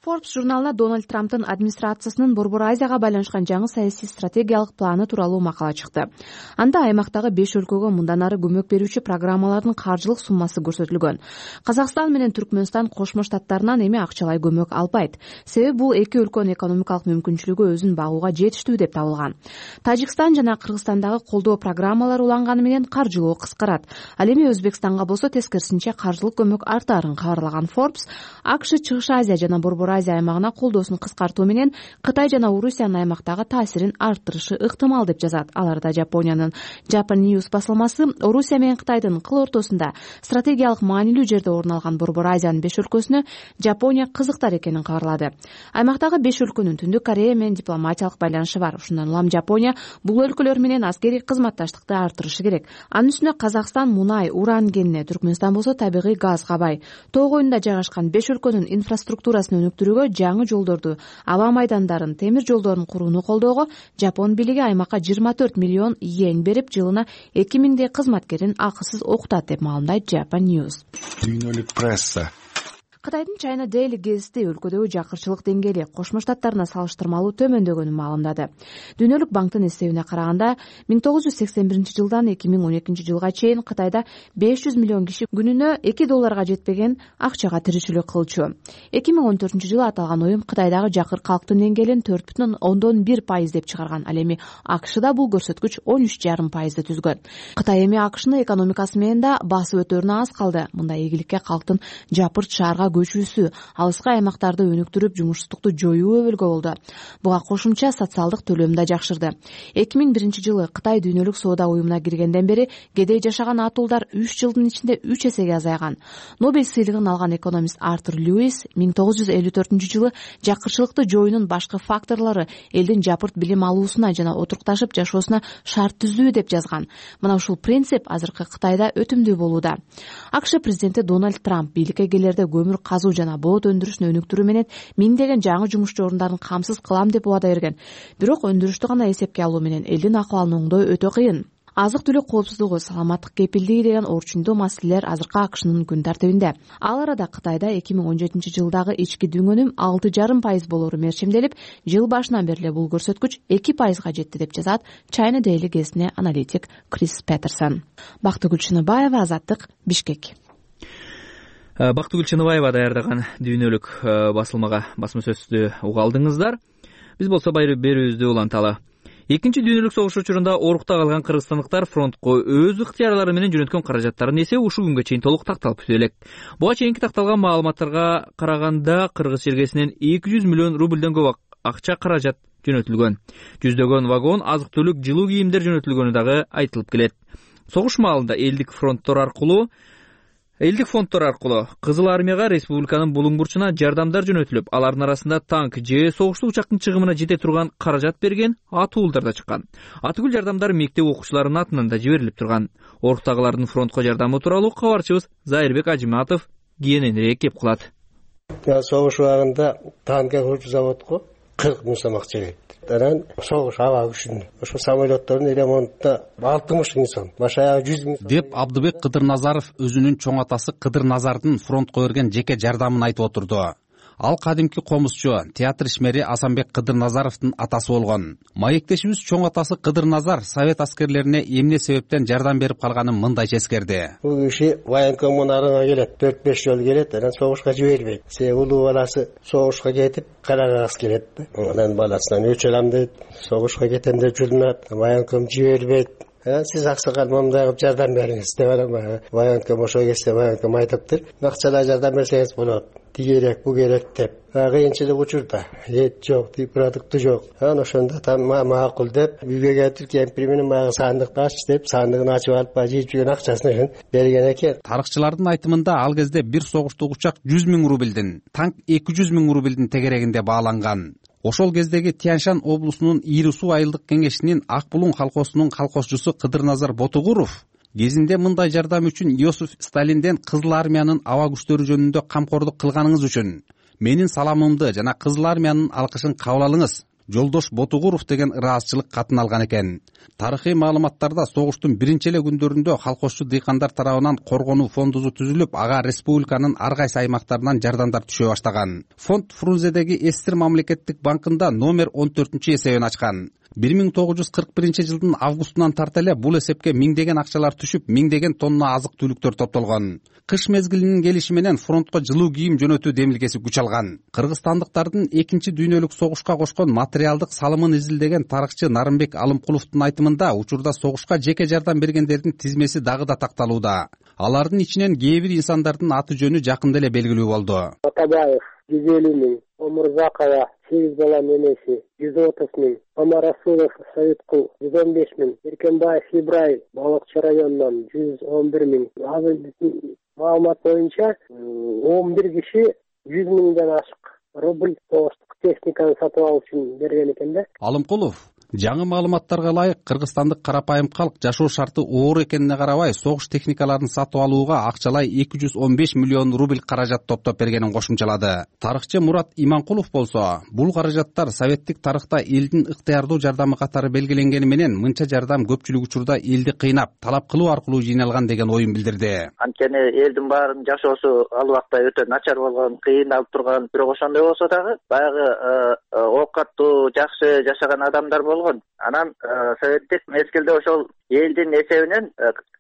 U: Forbes журналына Дональд Трамптын администрациясынын Борбор Азияга байланышкан жаңы саясий стратегиялык планы тууралуу макала чыкты. Анда аймактагы 5 өлкөгө мындан ары көмөк берүүчү программалардын каржылык суммасы көрсөтүлгөн. Казакстан менен Түркмөнстан Кошмо Штаттарынан эми акчалай көмөк албайт. Себеби бул эки өлкөнүн экономикалык мүмкүнчүлүгү өзүн багууга жетиштүү деп табылган. Тажикстан жана Кыргызстандагы колдоо программалары уланганы менен каржылоо кыскарат. Ал эми Өзбекстанга болсо тескерисинче каржылык көмөк артаарын кабарлаган Forbes, АКШ Чыгыш Азия жана Борбор Азия аймагына колдоосун кыскартуу менен Кытай жана Орусиянын аймактагы таасирин арттырышы ыктымал деп жазат. Аларда Жапониянын Japan News басылмасы Орусия менен Кытайдын кыл ортосунда стратегиялык маанилүү жерде орун алган Борбор Азиянын 5 өлкөсүнө Жапония кызыктар экенин кабарлады. Аймактагы 5 өлкөнүн Түндүк Корея менен дипломатиялык байланышы бар. Ушундан улам Жапония бул өлкөлөр менен аскерий кызматташтыкты арттырышы керек. Анын үстүнө Казакстан мунай, уран кенине, Түркмөнстан болсо табигый газга бай. Тоо коюнда жайгашкан 5 өлкөнүн инфраструктурасын өнүктүрүүгө, жаңы жолдорду, аба майдандарын, темир жолдорун курууну колдоого Жапон бийлиги аймакка 24 миллион йен берип, жылына 2000 кызматкерин акысыз окутат деп маалымдайт Japan News.
V: Дүйнөлүк пресса.
U: Кытайдын China Daily гезити өлкөдөгү жакырчылык деңгээли Кошмо Штаттарына салыштырмалуу төмөндөгөнүн маалымдады. Дүйнөлүк банктын эсебине караганда 1981 жылдан 2012 жылга чейин Кытайда 500 миллион киши күнүнө $2 жетпеген акчага тиричилик кылчу. 2014 жылы аталган уюм Кытайдагы жакыр калктын деңгээлин 4,1% деп чыгарган. Ал эми АКШда бул көрсөткүч 13,5% түзгөн. Кытай эми АКШнын экономикасы менен да басып өтөрүнө аз калды. Мындай ийгиликке калктын жапырт шаарга көчүүсү, алыскы аймактарды өнүктүрүп жумушсуздукту жоюу өбөлгө болду. Буга кошумча социалдык төлөм да жакшырды. 2001 жылы Кытай дүйнөлүк соода уюмуна киргенден бери кедей жашаган атуулдар 3 жылдын ичинде 3 эсеге азайган. Нобель сыйлыгын алган экономист Артур Льюис 1954 жылы жакырчылыкты жоюунун башкы факторлору элдин жапырт билим алуусуна жана отурукташып жашоосуна шарт түзүү деп жазган. Мына ушул принцип азыркы Кытайда өтүмдүү болууда. АКШ президенти Дональд Трамп бийликке келерде көмүр казуу жана болот өндүрүшүн өнүктүрүү менен миңдеген жаңы жумушчу орундарын камсыз кылам деп убада берген. Бирок өндүрүштү гана эсепке алуу менен элдин акыбалын оңдоо өтө кыйын. Азык-түлүк коопсуздугу, саламаттык кепилдиги деген орчундуу маселелер азыркы АКШнын күн тартибинде. Ал арада Кытайда 2017 жылдагы ички дүңөнүм 6,5% болору мерчемделип, жыл башынан бери бул көрсөткүч 2%га жетти деп жазат China Daily гезитине аналитик Крис Петерсон. Бактыгүл Чыныбаева, Азаттык, Бишкек.
A: Бактыгүл Чыныбаева даярдаган дүйнөлүк басылмага басма сөздү уга алдыңыздар. Биз болсо берүүбүздү уланталы. Экинчи дүйнөлүк согуш учурунда орукта калган кыргызстандыктар фронтко өз ыктыярлары менен жөнөткөн каражаттардын эсеби ушул күнгө чейин толук такталып бүтө элек. Буга чейинки такталган маалыматтарга караганда кыргыз жергесинен 200 миллион рубльден көп акча каражат жөнөтүлгөн. Жүздөгөн вагон азык-түлүк, жылуу кийимдер жөнөтүлгөнү дагы айтылып келет. Согуш маалында элдик фонддор аркылуу Кызыл армияга республиканын булуң бурчуна жардамдар жөнөтүлүп, алардын арасында танк же согуштуу учактын чыгымына жете турган каражат берген атуулдар да чыккан. Атүгүл жардамдар мектеп окуучуларынын атынан да жиберилип турган. Оруктагылардын фронтко жардамы тууралуу кабарчыбыз Зайырбек Ажиматов кененирээк кеп кылат.
D: Согуш убагында танкке курчу заводко 40 миң сом акча кетти. Анан согуш аба күчүнө ошо самолеттордун ремонтуна 60 миң сом, башаягы 100 миң сом
E: деп Абдыбек Кыдырназаров өзүнүн чоң атасы Кыдырназардын фронтко берген жеке жардамын айтып отурду. Ал кадимки комузчу, театр ишмери Асанбек Кыдырназаровдун атасы болгон. Маектешибиз чоң атасы Кыдырназар совет аскерлерине эмне себептен жардам берип калганын мындайча эскерди.
D: Бул киши военкомунарга келет, 4-5 жол келет, анан согушка жибербейт. Улуу баласы согушка кетип, карагас келет. Анан баласынан өч алам дейт, согушка кетем деп жүрүнөт, военком жибербейт. Сиз аксакал момундай кылып жардам бериңиз деп анан военком ошо кезде военком айтыптыр. Акчалай жардам берсеңиз болот. Керек, бу керек деп. Кыйынчылык учурда эт жок, продукты жок. Анан ошондо макул деп үйгө кетип кемпир менен баягы сандыкты ач деп сандыгын ачып алып жыйып жүргөн акчасын берген экен.
E: Тарыхчылардын айтымында ал кезде бир согуштук учак 100 миң рубльдин, танк 200 миң рубльдин тегерегинде бааланган. Ошол кездеги Тянь-Шань облусунун Ири Суу айылдык кеңешинин Ак Булуң колхозунун колхозчусу Кыдырназар Ботугуров кезинде мындай жардам үчүн Иосиф Сталинден Кызыл армиянын аба күчтөрү жөнүндө камкордук кылганыңыз үчүн менин саламымды жана Кызыл армиянын алкышын кабыл алыңыз, Жолдош Ботугуров деген ыраазычылык катын алган экен. Тарыхый маалыматтарда согуштун биринчи эле күндөрүндө колхозчу дыйкандар тарабынан коргонуу фондусу түзүлүп, ага республиканын ар кайсы аймактарынан жардамдар түшө баштаган. Фонд Фрунзедеги Эстир мамлекеттик банкында номер 14-эсебин ачкан. 1941 жылдын августунан тарта эле бул эсепке миңдеген акчалар түшүп, миңдеген тонна азык-түлүктөр топтолгон. Кыш мезгилинин келиши менен фронтко жылуу кийим жөнөтүү демилгеси күч алган. Кыргызстандыктардын экинчи дүйнөлүк согушка кошкон материалдык салымын изилдеген тарыхчы Нарымбек Алымкуловдун айтымында учурда согушка жеке жардам бергендердин тизмеси дагы да такталууда. Алардын ичинен кээ бир инсандардын аты жөнү жакында эле белгилүү болду.
W: Атабаев 150 миң, Омурзакова 8 баланын энеси 130 миң, Амарасулов Советкул 115 миң, Эркенбаев Ибрай Балыкчы районунан 111 миң. Азыр маалымат боюнча 11 киши 100 миңден ашык рубль согуштук техниканы сатып алуу үчүн берген экен да.
E: Алымкулов жаңы маалыматтарга ылайык кыргызстандык карапайым калк жашоо шарты оор экенине карабай согуш техникаларын сатып алууга акчалай 215 миллион рубль каражат топтоп бергенин кошумчалады. Тарыхчы Мурат Иманкулов болсо, бул каражаттар советтик тарыхта элдин ыктыярдуу жардамы катары белгиленгени менен мынча жардам көпчүлүк учурда элди кыйнап, талап кылуу аркылуу жыйналган деген оюн билдирди.
X: Анткени элдин баарынын жашоосу ал убакта өтө начар болгон, кыйналып турган, бирок ошондой болсо дагы баягы оокаттуу, жакшы жашаган адамдар болгон. Анан советтик мезгилде ошол элдин эсебинен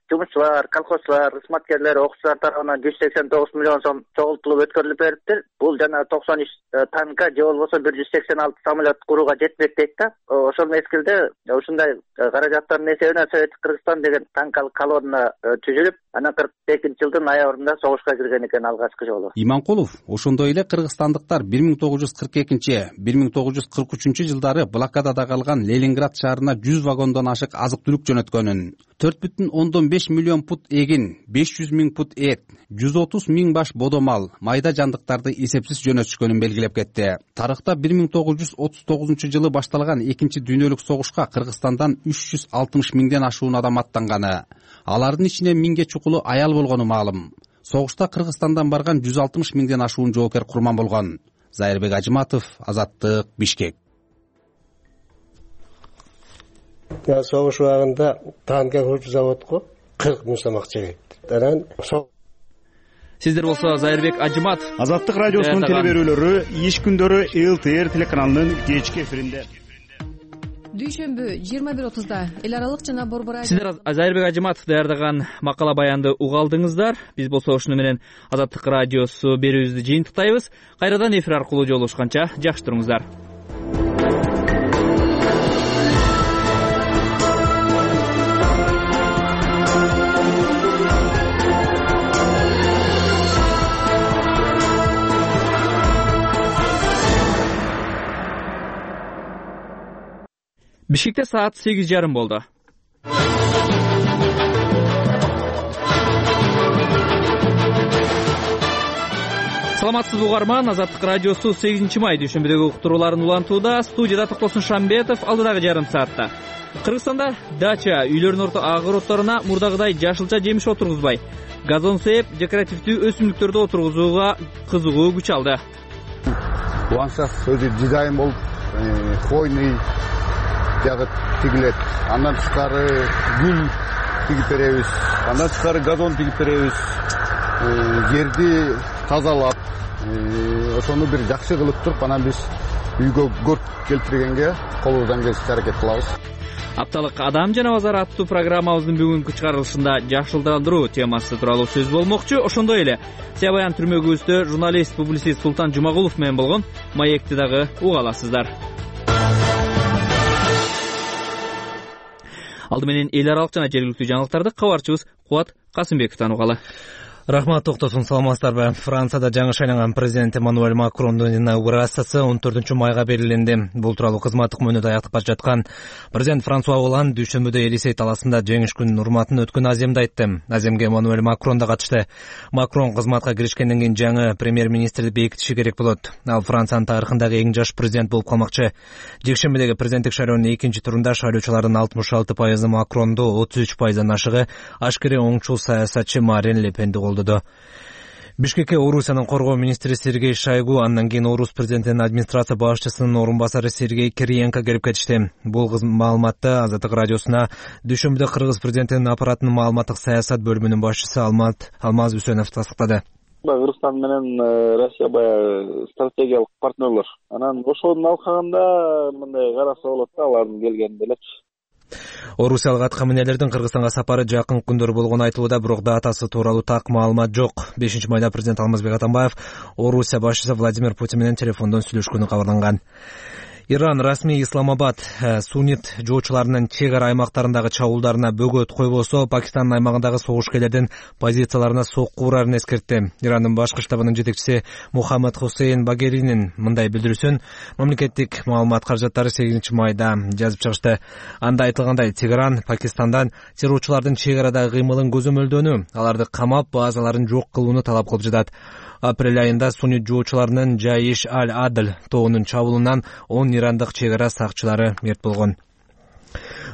X: жумушчулар, колхозчулар, кызматкерлер, окуучулар тарабынан 189 миллион сом чогултулуп өткөрүлүп бериптир. Бул жана 93 танка же болбосо 186 самолет курууга жетпек дейт да. Ошол мезгилде ушундай каражаттардын эсебинен Советтик Кыргызстан деген танкалык колонна түзүлүп, анан 42 жылдын ноябрында согушка кирген экен алгачкы жолу.
E: Иманкулов ошондой эле кыргызстандыктар 1942-1943 жылдары блокадада калган Ленинград шаарына 100 вагондон ашык азык-түлүк жөнөткөнүн, 4,5 миллион пут эгин, 500 миң пут эт, 130 миң баш бодомал, майда жандыктарды эсепсиз жөнөтүшкөнүн белгилеп кетти. Тарыхта 1939 жылы башталган экинчи дүйнөлүк согушка Кыргызстандан 360 миңден ашуун адам аттанганы. Алардын ичинде миңге чукулу аял болгону маалым. Согушта Кыргызстандан барган 160 миңден ашуун жоокер курман болгон. Зайырбек Ажиматов, Азаттык, Бишкек.
D: Согуш убагында танкке курчу заводко 40 миң сом акча кетти. Анан
A: Сиздер болсо Зайырбек Ажиматов,
Y: Азаттык радиосунун телеберүүлөрү иш күндөрү ЛТР телеканалынын кечки эфиринде.
U: дүйшөмбү 21:30 эл аралык жана борбор
A: сиздер Азайырбек Ажыматов даярдаган макала баянды уга алдыңыздар. Биз болсо ушуну менен Азаттык радиосу берүүбүздү жыйынтыктайбыз. Кайрадан эфир аркылуу жолугушканча жакшы туруңуздар. Бишкекте саат 8:30 болду. Саламатсызбы угарман, Азаттык радиосу 8 май дүйшөмбүдөгү уктурууларын улантууда. Студияда Токтосун Шамбетов, алдыдагы жарым саатта. Кыргызстанда дача үйлөрдүн огороддоруна мурдагыдай жашылча жемиш отургузбай, газон сээп, декоративдүү өсүмдүктөрдү отургузууга кызыгуу күч алды.
V: Ландшафт өзү дизайн болуп, хвойный жагы тигилет. Андан тышкары гүл тигип беребиз. Андан тышкары газон тигип беребиз. Жерди тазалап, ошону бир жакшы кылып туруп, анан биз үйгө көрк келтиргенге колубуздан келишинче аракет кылабыз.
A: Апталык адам жана базар аттуу программабыздын бүгүнкү чыгарылышында жакшылдандыруу темасы тууралуу сөз болмокчу. Ошондой эле Сябаян түрмөгүбүздө журналист, публицист Султан Жумагулов менен болгон маекти дагы уга аласыздар. Алды менен эл аралык жана жергиликтүү жаңылыктарды кабарчыбыз Кубат Касымбековдон угалы.
C: Рахмат, Токтосун, саламатсыздарбы? Францияда жаңы шайланган президент Эммануэль Макрондун инаугурациясы 14 майга белгиленди. Бул тууралуу кызматтык мөөнөтү аяктап бара жаткан президент Франсуа Олланд дүйшөмбүдө Элисей талаасында жеңиш күнүнүн урматына өткөн аземди айтты. Аземге Эммануэль Макрон да катышты. Макрон кызматка киришкенден кийин жаңы премьер-министрди бекитиши керек болот. Ал Франциянын тарыхындагы эң жаш президент болуп калмакчы. Жекшембидеги президенттик шайлоонун экинчи турунда шайлоочулардын 66% Макронду, 33% ашыгы ашкере оңчул саясатчы Марин Ле Пенди колдоду. Бишкекке Орусиянын коргоо министри Сергей Шойгу, андан кийин Орус президентинин администрация башчысынын орун басары Сергей Кириенко келип кетишти. Бул маалыматты Азаттык радиосуна дүйшөмбүдө Кыргыз президентинин аппаратынын маалыматтык саясат бөлүмүнүн башчысы Алмаз Үсөнов тастыктады.
B: Кыргызстан менен Россия баягы стратегиялык партнерлор. Анан ошонун алкагында мындай караса болот да, алардын келгенинде элечи.
C: Орусиялык аткаминерлердин Кыргызстанга сапары жакын күндөр болгону айтылууда, бирок датасы тууралуу так маалымат жок. 5 майда президент Алмазбек Атамбаев Орусия башчысы Владимир Путин менен телефондон сүйлөшкөнү кабарланган. Иран расмий Исламабад суннит жоочуларынын чек ара аймактарындагы чабуулдарына бөгөт койбосо, Пакистандын аймагындагы согушкерлердин позицияларына сокку урарын эскертти. Ирандын башкы штабынын жетекчиси Мухаммад Хусейн Багеринин мындай билдирүүсүн мамлекеттик маалымат каражаттары 8 майда жазып чыгышты. Анда айтылгандай, Тегеран Пакистандан террорчулардын чек арадагы кыймылын көзөмөлдөнү, аларды камап, базаларын жок кылууну талап кылып жатат. Апрель айында суннит жоочуларынын Жаиш аль-Адл тоонун чабуулунан 10 ирандык чек ара сакчылары мерт болгон.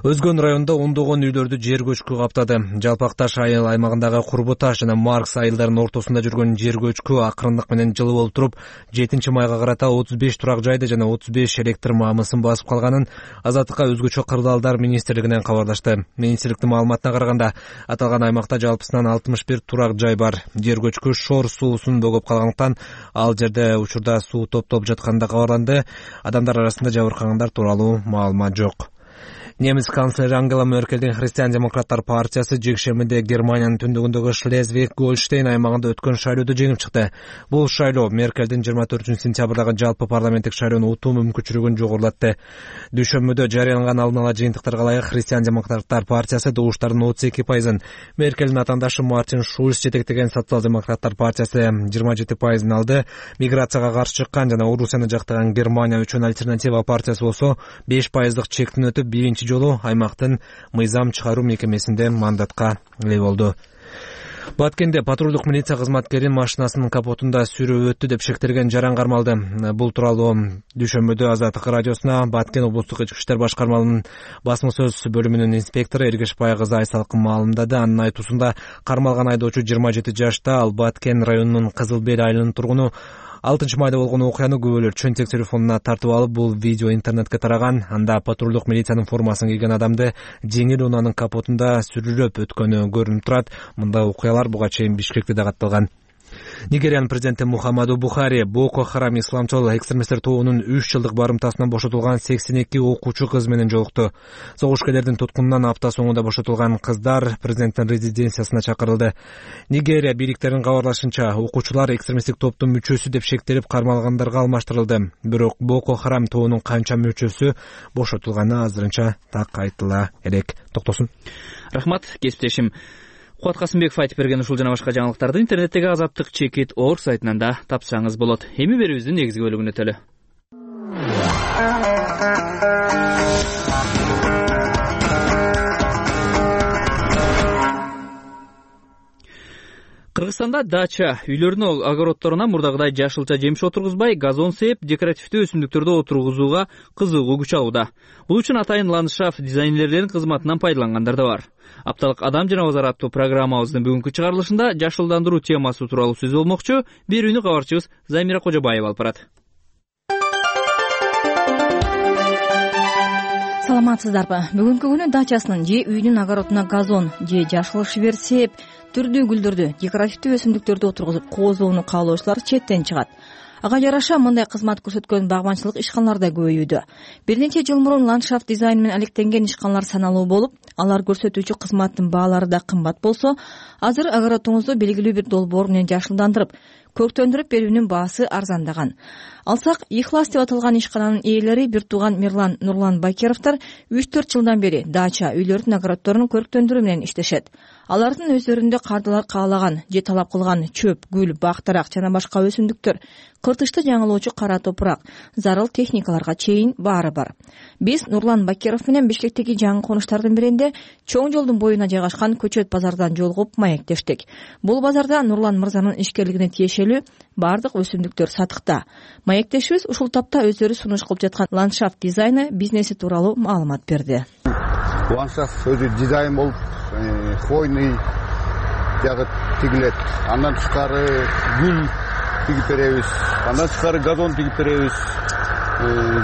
C: Өзгөн районунда ондогон үйлөрдү жер көчкү каптады. Жалпакташ айыл аймагындагы Курбуташ жана Маркс айылдарынын ортосунда жүргөн жер көчкү акырындык менен жылы болуп туруп, 7 майга карата 35 турак жайды жана 35 электр маамысын басып калганын Азаттыкка өзгөчө кырдаалдар министрлигинен кабарлашты. Министрликтин маалыматына караганда, аталган аймакта жалпысынан 61 турак жай бар. Жер көчкү Шор суусун бөгөп калгандыктан ал жерде учурда суу топтоп жатканы кабарланды. Адамдар арасында жабыркагандар тууралуу маалымат жок. Немис канцлери Ангела Меркельдин Христиан-демократтар партиясы жекшембиде Германиянын түндүгүндөгү Шлезвиг-Гольштейн аймагында өткөн шайлоодо жеңип чыкты. Бул шайлоо Меркельдин 24-сентябрдагы жалпы парламенттик шайлоону утуу мүмкүнчүлүгүн жогорулатты. Дүйшөмбүдө жарыяланган алдын ала жыйынтыктарга ылайык Христиан-демократтар партиясы добуштардын 32%, Меркельдин атаандашы Мартин Шульц жетектеген социал-демократтар партиясы 27% алды. Миграцияга каршы чыккан жана Орусияны жактаган Германия үчүн альтернатива партиясы болсо 5% чектин өтүп, биринчи жолу аймактын мыйзам чыгаруу мекемесинде мандатка ээ болду. Баткенде патрулдук милиция кызматкерин машинасынын капотунда сүрөп өттү деп шектелген жаран кармалды. Бул тууралуу дүйшөмбүдө Азаттык радиосуна Баткен облустук ички иштер башкармаларынын басма сөз бөлүмүнүн инспектору Эргешбай кызы Айсалкын маалымдады. Анын айтуусунда кармалган айдоочу 27 жашта, ал Баткен районунун Кызыл Бел айылынын тургуну. 6 майда болгон окуяны күбөлөр чөнтек телефонуна тартып алып, бул видео интернетке тараган. Анда патрулдук милициянын формасын кийген адамды жеңил унаанын капотунда сүрүлөп өткөнү көрүнүп турат. Мындай окуялар буга чейин Бишкекте да катталган. Нигериянын президенти Мухаммаду Бухари Боко Харам исламчыл экстремисттер тобунун 3 жылдык барымтасынан бошотулган 82 окуучу кыз менен жолукту. Согушкерлердин туткунунан апта соңунда бошотулган кыздар президенттин резиденциясына чакырылды. Нигерия бийликтеринин кабарлашынча, окуучулар экстремисттик топтун мүчөсү деп шектелип кармалгандарга алмаштырылды. Бирок Боко Харам тобунун канча мүчөсү бошотулганы азырынча так айтыла элек. Токтосун.
A: Рахмат, кесиптешим Кубат Касымбеков айтып берген ушул жана башка жаңылыктарды интернеттеги azattik.org сайтынан да тапсаңыз болот. Эми берүүбүздүн негизги бөлүгүнө өтөлү. Кыргызстанда дача үйлөрүнүн огороддоруна мурдагыдай жашылча жемиш отургузбай, газон сээп, декоративдүү өсүмдүктөрдү отургузууга кызыгуу күч алууда. Бул үчүн атайын ландшафт дизайнерлеринин кызматынан пайдалангандар да бар. Апталык Адам жана Базар аттуу программабыздын бүгүнкү чыгарылышында жашылдандыруу темасы тууралуу сөз болмокчу. Берүүнү кабарчыбыз Замира Кожобаева алып барат.
G: Саламатсыздарбы? Бүгүнкү күнү дачасынын же үйдүн огородуна газон же жашыл шибер сээп, түрдүү гүлдөрдү, декоративдүү өсүмдүктөрдү отургузуп коозоону каалоочулар четтен чыгат. Ага жараша мындай кызмат көрсөткөн багбанчылык ишканалар да көбөйүүдө. Бир нече жыл мурун ландшафт дизайн менен алектенген ишканалар саналуу болуп, алар көрсөтүүчү кызматтын баалары да кымбат болсо, азыр огородуңузду белгилүү бир долбоор менен жашылдандырып, көрктөндүрүп берүүнүн баасы арзандаган. Алсак, Ихлас деп аталган ишкананын ээлери бир тууган Мирлан Нурлан Бакировдор 3-4 жылдан бери дача үйлөрдүн огороддорун көрктөндүрүү менен иштешет. Алардын өздөрүндө кардылар каалаган же талап кылган чөп, гүл, бактарак жана башка өсүмдүктөр, кыртышты жаңылоочу кара топурак, зарыл техникаларга чейин баары бар. Биз Нурлан Бакиров менен Бишкектеги жаңы конуштардын биринде чоң жолдун боюна жайгашкан Көчөт базардан жолугуп маектештик. Бул базарда Нурлан мырзанын ишкерлигине тиешелүү бардык өсүмдүктөр сатыкта. Маектешибиз ушул тапта өздөрү сунуш кылып жаткан ландшафт дизайны бизнеси тууралуу маалымат берди.
V: Ландшафт өзү дизайн болуп, хвойный жагы тигилет. Андан тышкары гүл тигип беребиз. Андан тышкары газон тигип беребиз.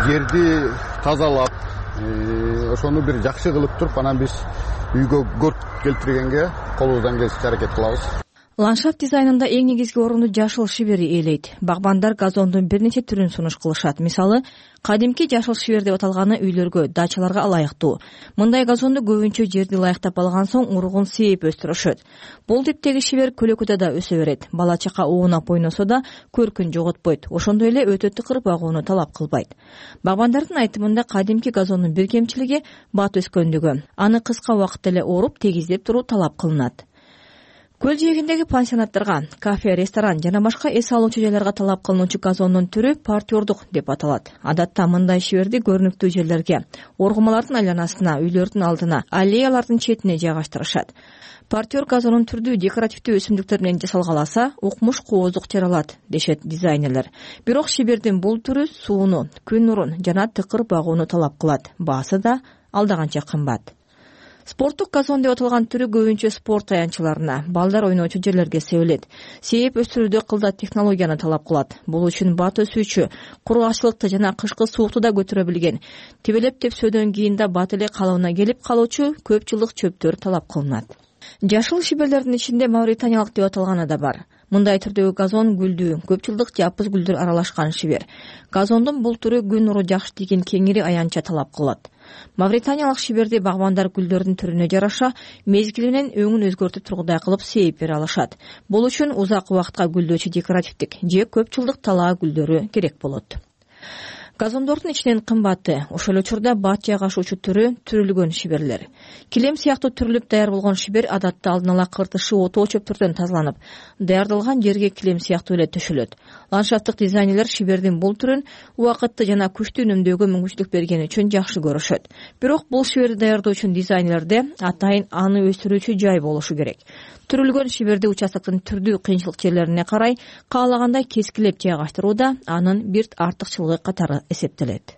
V: Жерди тазалап, ошону бир жакшы кылып туруп, анан биз үйгө көрк келтиргенге колубуздан келишинче аракет кылабыз.
G: Ландшафт дизайнында эң негизги орунду жашыл шибери ээлейт. Багбандар газондун бир нече түрүн сунуш кылышат. Мисалы, кадимки жашыл шибер деп аталганы үйлөргө, дачаларга ылайыктуу. Мындай газонду көбүнчө жерди ылайыктап алган соң уругун сээп өстүрүшөт. Бул типтеги шибер көлөкөдө да өсө берет. Бала чака оонап ойносо да көркүн жоготпойт. Ошондой эле өтө тыкыр багууну талап кылбайт. Багбандардын айтымында кадимки газондун бир кемчилиги бат өскөндүгү. Аны кыска убакытта эле ооруп, тегиздеп туруу талап кылынат. Көл жээгиндеги пансионаттарга, кафе, ресторан жана башка эс алуучу жайларга талап кылынуучу газондун түрү партиордук деп аталат. Адатта мындай шиберди көрүнүктүү жерлерге, оргумалардын айланасына, үйлөрдүн алдына, аллеялардын четине жайгаштырышат. Партиор газонун түрдүү декоративдүү өсүмдүктөр менен жасалгаласа, укмуш кооздук жаралат, дешет дизайнерлер. Бирок шибердин бул түрү сууну, күн нурун жана тыкыр багууну талап кылат. Баасы да алдаганча кымбат. Спорттук газон деп аталган түрү көбүнчө спорт аянтчыларына, балдар ойноочу жерлерге себилет. Сээп өстүрүүдө кылдат технологияны талап кылат. Бул үчүн бат өсүүчү, кургаччылыкты жана кышкы суукту да көтөрө билген, тибелеп тепсөөдөн кийин да бат эле калыбына келип калуучу көп жылдык чөптөр талап кылынат. Жашыл шиберлердин ичинде мавританиялык деп аталганы да бар. Мындай түрдөгү газон гүлдүү, көп жылдык жапыз гүлдөр аралашкан шибер. Газондун бул түрү күн нуру жакшы тийген кеңири аянтча талап кылат. Мавританиялык шиберди багбандар гүлдөрдүн түрүнө жараша мезгили менен өңүн өзгөртүп тургудай кылып сээп бере алышат. Бул үчүн узак убакытка гүлдөөчү декоративдик же көп жылдык талаа гүлдөрү керек болот. Газондордун ичинен кымбаты, ошол эле учурда бат жайгашуучу түрү түрүлгөн шиберлер. Килем сыяктуу түрүлүп даяр болгон шибер адатта алдын ала кыртышы отоо чөптөрдөн тазаланып, даярдалган жерге килем сыяктуу эле төшөлөт. Ландшафттык дизайнерлер шибердин бул түрүн убакытты жана күчтүү үнөмдөөгө мүмкүнчүлүк бергени үчүн жакшы көрүшөт. Бирок бул шиберди даярдоо үчүн дизайнерлерде атайын аны өстүрүүчү жай болушу керек. Түрүлгөн шиберди участоктун түрдүү кыйынчылык жерлерине карай каалагандай кескилеп жайгаштырууда анын бир артыкчылыгы катары эсептелет.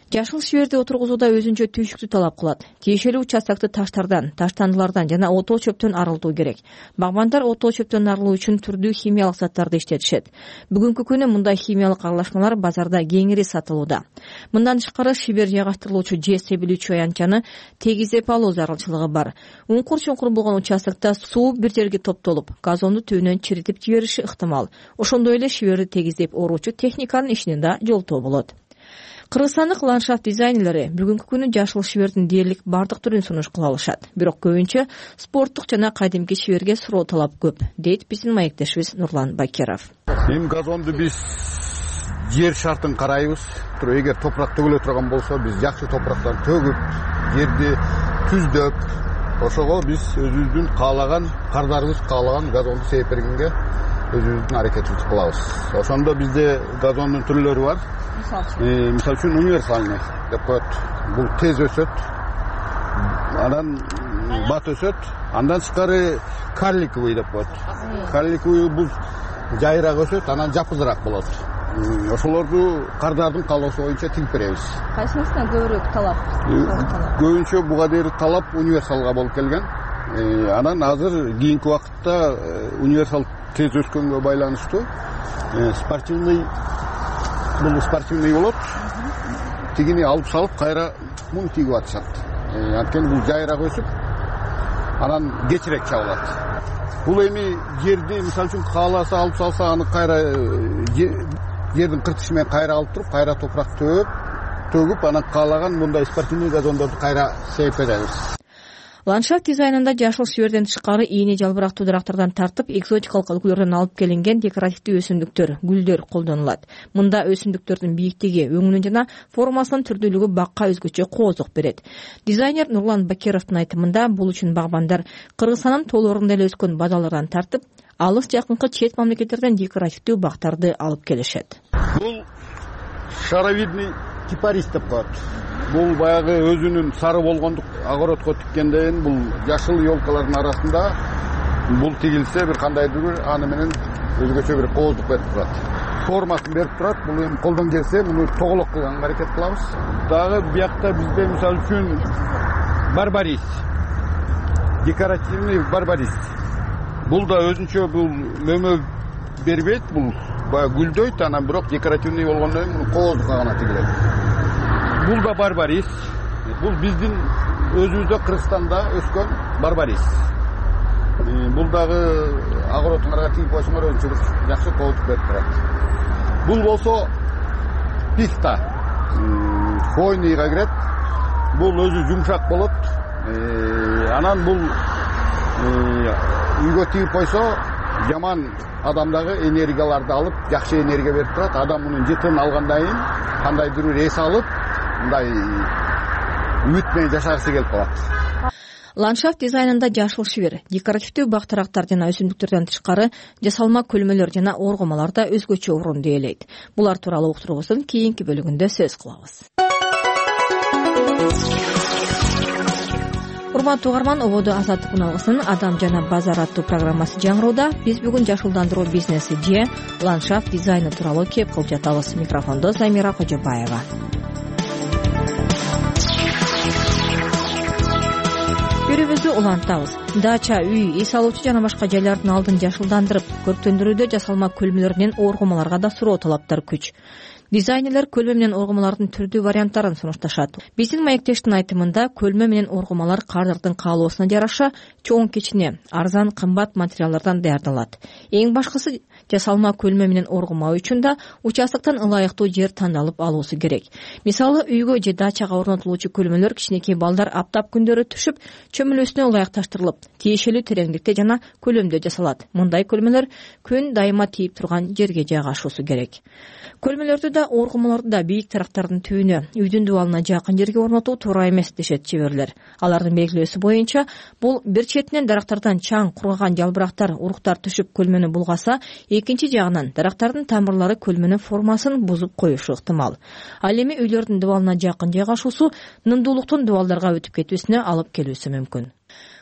G: Жашыл шиверди отургузууда өзүнчө түйшүктү талап кылат. Тиешелүү участокты таштардан, таштандылардан жана отоо чөптөн арылтуу керек. Багбандар отоо чөптөн арылуу үчүн түрдүү химиялык заттарды иштетишет. Бүгүнкү күнү мындай химиялык аралашмалар базарда кеңири сатылууда. Мындан тышкары шибер жайгаштырылуучу же себилүүчү аянтчаны тегиздеп алуу зарылчылыгы бар. Уңкур-чуңкур болгон участокто суу бир жерге топтолуп, газонду түбүнөн чиритип жибериши ыктымал. Ошондой эле шиберди тегиздеп оруучу техниканын ишине да жолтоо болот. Кыргызстандык ландшафт дизайнерлери бүгүнкү күнү жашыл шибердин дээрлик бардык түрүн сунуш кыла алышат. Бирок көбүнчө спорттук жана кадимки шиберге суроо талап көп, дейт биздин маектешибиз Нурлан Бакиров.
V: Эми газонду биз жер шартын карайбыз. Эгер топурак төгүлө турган болсо, биз жакшы топурактан төгүп, жерди түздөп, ошого биз өзүбүздүн каалаган, кардарыбыз каалаган газонду себеп бергенге өзүбүздүн аракетибизди кылабыз. Ошондо бизде газондун түрлөрү бар. Мисалы үчүн универсальный деп коет. Бул тез өсөт, анан бат өсөт. Андан тышкары карликовый деп коет. Карликовый бул жайыраак өсөт, анан жапызыраак болот. Ошолорду кардардын каалоосу боюнча тигип беребиз.
G: Кайсысынан көбүрөөк талап?
V: Көбүнчө буга дейин талап универсалга болуп келген. Анан азыр кийинки убакытта универсал тез өскөнгө байланыштуу спортивный болот. Тигини алып салып кайра муну тигип атышат. Анткени бул жайыраак өсүп, анан кечирээк чабылат. Бул эми жерди мисалы үчүн кааласа алып салса, аны кайра жердин кыртышы менен кайра алып туруп, кайра топурак төгүп, анан каалаган мындай спортивный газондорду кайра себеп беребиз.
G: Ландшафт дизайнында жашыл шиберден тышкары ийне жалбырактуу дарактардан тартып, экзотикалык үлгүлөрдөн алып келинген декоративдүү өсүмдүктөр, гүлдөр колдонулат. Мында өсүмдүктөрдүн бийиктиги, өңүнүн жана формасынын түрдүүлүгү бакка өзгөчө коозук берет. Дизайнер Нурлан Бакировдун айтымында, бул үчүн багбандар Кыргызстандын тоолорунда эле өскөн бадалардан тартып, алыс жакынкы чет мамлекеттерден декоративдүү бактарды алып келишет.
V: Бул шаровидный кипарис деп коет. Бул баягы өзүнүн сары болгондук огородко тиккенден бул жашыл елкалардын арасында бул тигилсе бир кандайдыр бир аны менен өзгөчө бир кооздук берип турат. Формасын берип турат. Бул эми колдон келсе муну тоголок кылганга аракет кылабыз. Дагы биякта бизде мисалы үчүн барбарис, декоративный барбарис. Бул да өзүнчө бул мөмө бербейт, бул баягы гүлдөйт, анан бирок декоративный болгондон кийин муну кооздукка гана тигилет. Бул да барбарис. Бул биздин өзүбүздө Кыргызстанда өскөн барбарис. Бул дагы огородуңарга тигип койсоңор өзүнчө жакшы кооздук берип турат. Бул болсо пихта. Хвойныйга кирет. Бул өзү жумшак болот. Анан бул үйгө тигип койсо жаман адамдагы энергияларды алып, жакшы энергия берип турат. Адам мунун жытын алгандан кийин кандайдыр бир эс алып, мындай үмүт менен жашагысы келип калат.
G: Ландшафт дизайнында жашыл шибер, декоративдүү бактарактар жана өсүмдүктөрдөн тышкары жасалма көлмөлөр жана оргумалар да өзгөчө орун ээлейт. Булар тууралуу уктурубуздун кийинки бөлүгүндө сөз кылабыз. Урматтуу угарман, ободо азаттык алгысынын Адам жана базар аттуу программасы жаңырууда. Биз бүгүн жашылдандыруу бизнеси же ландшафт дизайны тууралуу кеп кылып жатабыз. Микрофондо Замира Кожобаева. Көрүүбүздү улантабыз. Дача, үй, эс алуучу жана башка жайлардын алдын жашылдандырып, көрктөндүрүүдө жасалма көлмөлөрүнөн оргумаларга да суроо талаптар күч. Дизайнерлер көлмө менен оргумалардын түрдүү варианттарын сунушташат. Биздин маектештин айтымында, көлмө менен оргумалар кардардын каалоосуна жараша чоң кичине, арзан, кымбат материалдардан даярдалат. Эң башкысы, жасалма көлмө менен оргума үчүн да участоктон ылайыктуу жер тандалып алуусу керек. Мисалы, үйгө же дачага орнотулуучу көлмөлөр кичинекей балдар аптап күндөрү түшүп, чөмүлөсүнө ылайыкташтырылып, тиешелүү тереңдикте жана көлөмдө жасалат. Мындай көлмөлөр күн дайыма тийип турган жерге жайгашуусу керек. Көлмөлөрдү да, оргумаларды да бийик тарактардын түбүнө, үйдүн дубалына жакын жерге орнотуу туура эмес дешет чеберлер. Алардын белгилөөсү боюнча, бул бир четинен дарактардан чаң, кургаган жалбырактар, уруктар түшүп көлмөнү булгаса, экинчи жагынан дарактардын тамырлары көлмөнүн формасын бузуп коюшу ыктымал. Ал эми үйлөрдүн дубалына жакын жайгашуусу нымдуулуктун дубалдарга өтүп кетүүсүнө алып келүүсү мүмкүн.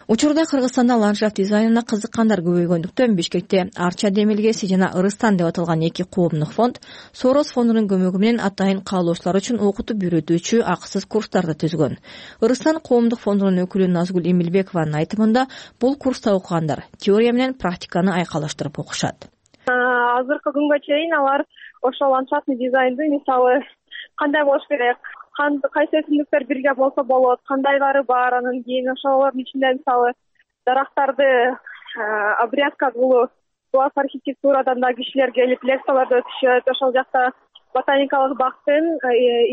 G: Учурда Кыргызстанда ландшафт дизайнына кызыккандар көбөйгөндүктөн Бишкекте Арча Демилгеси жана Ырыстан деп аталган эки коомдук фонд Сорос фондунун көмөгү менен атайын каалоочулар үчүн окутуп үйрөтүүчү акысыз курстарды түзгөн. Ырыстан коомдук фондунун өкүлү Назгүл Эмилбекованын айтымында бул курста окугандар теория менен практиканы айкалаштырып окушат.
H: Азыркы күнгө чейин алар ошол ландшафтный дизайнды мисалы кандай болуш керек, кайсы өсүмдүктөр бирге болсо болот, кандайлары бар, анан кийин ошолордун ичинде мисалы дарактарды обрезка кылуу, буак архитектурадан да кишилер келип лекцияларды өтүшөт. Ошол жакта ботаникалык бактын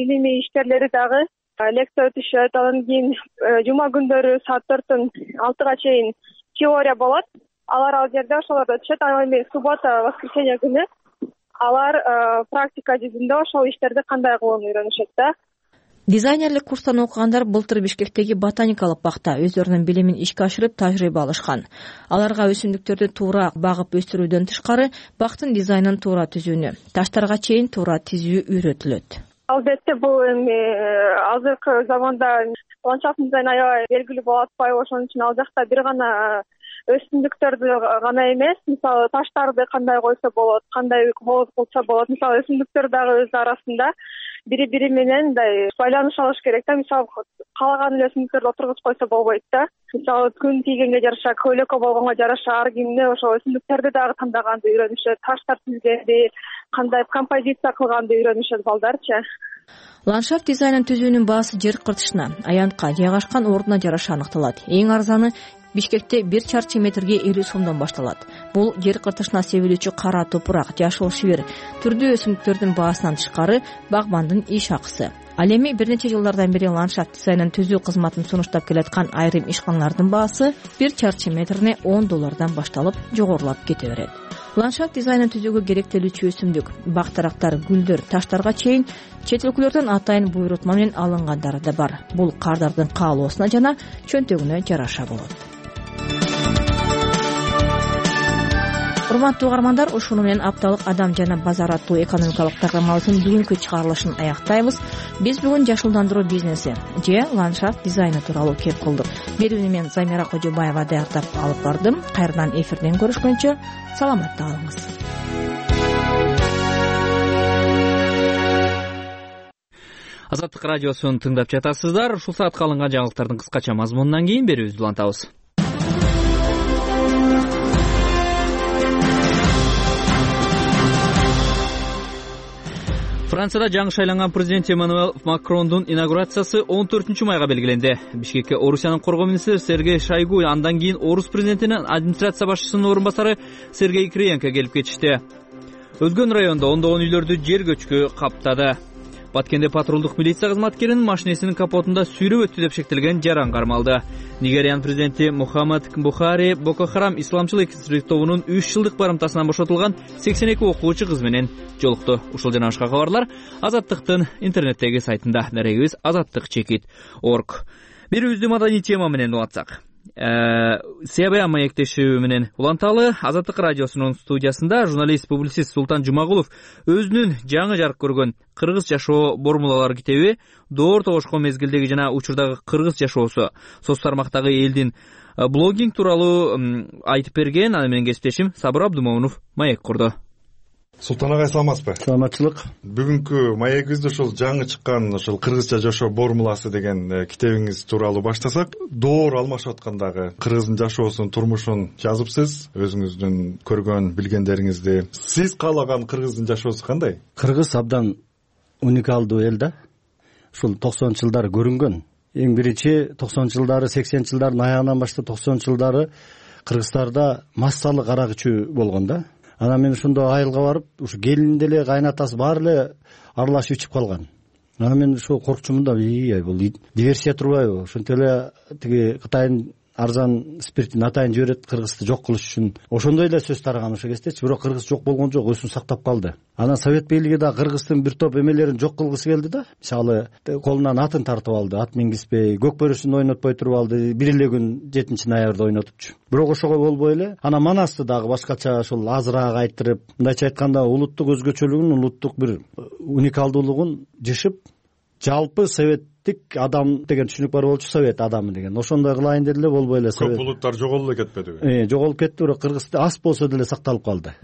H: илимий ишкерлери дагы лекция өтүшөт. Анан кийин жума күндөрү саат 4-төн 6-га чейин теория болот. Алар ал жерде ошолорду өтүшөт. Анан эми суббота, воскресенье күнү алар практика жүзүндө ошол иштерди кандай кылууну үйрөнүшөт да.
G: Дизайнерлик курстан окугандар былтыр Бишкектеги ботаникалык бакта өздөрүнүн билимин ишке ашырып тажрыйба алышкан. Аларга өсүмдүктөрдү туура багып өстүрүүдөн тышкары бактын дизайнын туура түзүүнү, таштарга чейин туура тизүү үйрөтүлөт.
H: Албетте бул эми азыркы заманда ландшафт дизайн аябай белгилүү болуп атпайбы, ошон үчүн ал жакта бир гана өсүмдүктөрдү гана эмес, мисалы таштарды кандай койсо болот, кандай кылса болот. Мисалы өсүмдүктөр дагы өз арасында бири менен мындай байланыш алыш керек да. Мисалы каалаган эле өсүмдүктөрдү отургузуп койсо болбойт да. Мисалы күн тийгенге жараша, көйлөккө болгонго жараша ар кимде ошол өсүмдүктөрдү дагы тандаганды үйрөнүшөт, таштар түзгенди, кандай композиция кылганды үйрөнүшөт балдарчы.
G: Ландшафт дизайнын түзүүнүн баасы жер кыртышына, аянтка, жайгашкан ордуна жараша аныкталат. Эң арзаны Бишкекте 1 чарчы метрге 50 сомдон башталат. Бул жер кыртышына себилүүчү кара топурак, жашыл шибир, түрдүү өсүмдүктөрдүн баасынан тышкары багбандын иш акысы. Ал эми бир нече жылдардан бери ландшафт дизайнын түзүү кызматын сунуштап келаткан айрым ишканалардын баасы 1 чарчы метрине $10 башталып, жогорулап кете берет. Ландшафт дизайнын түзүүгө керектелүүчү өсүмдүк, бактарактар, гүлдөр, таштарга чейин чет өлкөлөрдөн атайын буйрутма менен алынгандары да бар. Бул кардардын каалоосуна жана чөнтөгүнө жараша болот. Урматтуу угармандар, ушуну менен апталык Адам жана базар аттуу экономикалык программабыздын бүгүнкү чыгарылышын аяктайбыз. Биз бүгүн жашылдандыруу бизнеси же ландшафт дизайны тууралуу кеп кылдык. Берүүнү мен Замира Кожобаева даярдап алып бардым. Кайрадан эфирден көрүшкөнчө саламатта калыңыз.
A: Азаттык радиосун тыңдап жатасыздар. Ушул саатка алынган жаңылыктардын кыскача мазмунунан кийин берүүбүздү улантабыз. Францияда жаңы шайланган президент Эммануэль Макрондун инаугурациясы 14 майга белгиленди. Бишкекке Орусиянын коргоо министри Сергей Шойгу, андан кийин Орус президентинин администрация башчысынын орун басары Сергей Кириенко келип кетишти. Өзгөн райондо ондогон үйлөрдү жер көчкү каптады. Баткенде патрулдук милиция кызматкеринин машинесинин капотунда сүйрөп өттү деп шектелген жаран кармалды. Нигериянын президенти Мухаммад Бухари Боко Харам исламчыл экстремист тобунун 3 жылдык барымтасынан бошотулган 82 окуучу кыз менен жолукту. Ушул жана башка кабарлар Азаттыктын интернеттеги сайтында. Дарегибиз azattik.org. Бирүүбүздү маданий тема менен улантсак. Себея маектешүү менен уланталы. Азаттык радиосунун студиясында журналист-публицист Султан Жумагулов өзүнүн жаңы жарык көргөн кыргыз жашоо формулалары китеби, доор тогошкон мезгилдеги жана учурдагы кыргыз жашоосу, соц тармактагы элдин блогинг тууралуу айтып берген. Аны менен кесиптешим Сабыр Абдумомунов маек курду.
I: Султан агай, саламатсызбы?
J: Саламатчылык.
I: Бүгүнкү маегибизди ушул жаңы чыккан ушул кыргызча жашоо формуласы деген китебиңиз тууралуу баштасак. Доор алмашып аткандагы кыргыздын жашоосун, турмушун жазыпсыз, өзүңүздүн көргөн билгендериңизди. Сиз каалаган кыргыздын жашоосу кандай?
J: Кыргыз абдан уникалдуу эл да. Ушул 90-жылдары көрүнгөн. Эң биринчи 90-жылдары, 80-жылдардын аягынан баштап 90-жылдары Кыргызстарда массалык арак ичүү болгон да. Анан мен ошондо айылга барып, ушу келин деле, кайнатасы баары эле аралашып ичип калган. Анан мен ошо коркчумун да, бул диверсия турбайбы? Ошентип эле тиги Кытайдын арзан спиртин атайын жиберет Кыргызды жок кылыш үчүн. Ошондой эле сөз тараган ошо кездечи, бирок Кыргыз жок болгон жок, өзүн сактап калды. Анан Совет бийлиги да Кыргыздын бир топ эмелерин жок кылгысы келди да. Мисалы, колунан атын тартып алды, ат мингизбей, көк бөрүсүн ойнотпой туруп алды, бир эле күн 7-ноябрда ойнотупчу. Бирок ошого болбой эле анан манасты дагы башкача ушул азыраак айттырып, мындайча айтканда улуттук өзгөчөлүгүн, улуттук бир уникалдуулугун жышып, жалпы советтик адам деген түшүнүк бар болчу, совет адамы деген ошондой кылайын деди эле, болбой эле.
I: Көп улуттар жоголуп эле кетпедиби?
J: Жоголуп кетти, бирок Кыргызда аз болсо деле сакталып калды.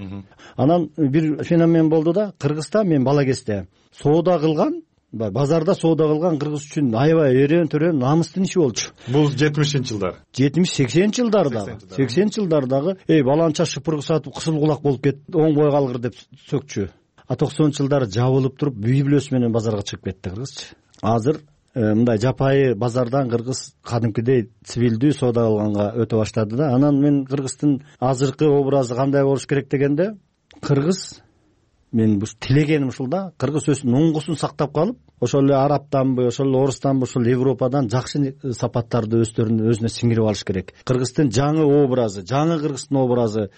J: Анан бир феномен болду да, Кыргызда мен бала кезде соода кылган, базарда соода кылган кыргыз үчүн аябай өрөөн намыстын иши болчу.
I: Бул 70-жылдар.
J: 70-80 жылдардагы. 80 жылдардагы баланча шыпыргы сатып кысыл кулак болуп кетти, оңбой калгыр деп сөкчү. 90 жылдары жабылып туруп библиосу менен базарга чыгып кетти кыргызчы. Азыр мындай жапайы базардан кыргыз кадимкидей цивилдүү соода кылганга өтө баштады да. Анан мен кыргыздын азыркы образы кандай болуш керек дегенде, кыргыз, мен тилегеним ушул да, кыргыз өзүнүн оңгусун сактап калып, ошол эле арабтанбы, ошол эле орустанбы, ошол Европадан жакшы сапаттарды өзүнө сиңирип алыш керек. Кыргыздын жаңы образы, жаңы кыргыздын образы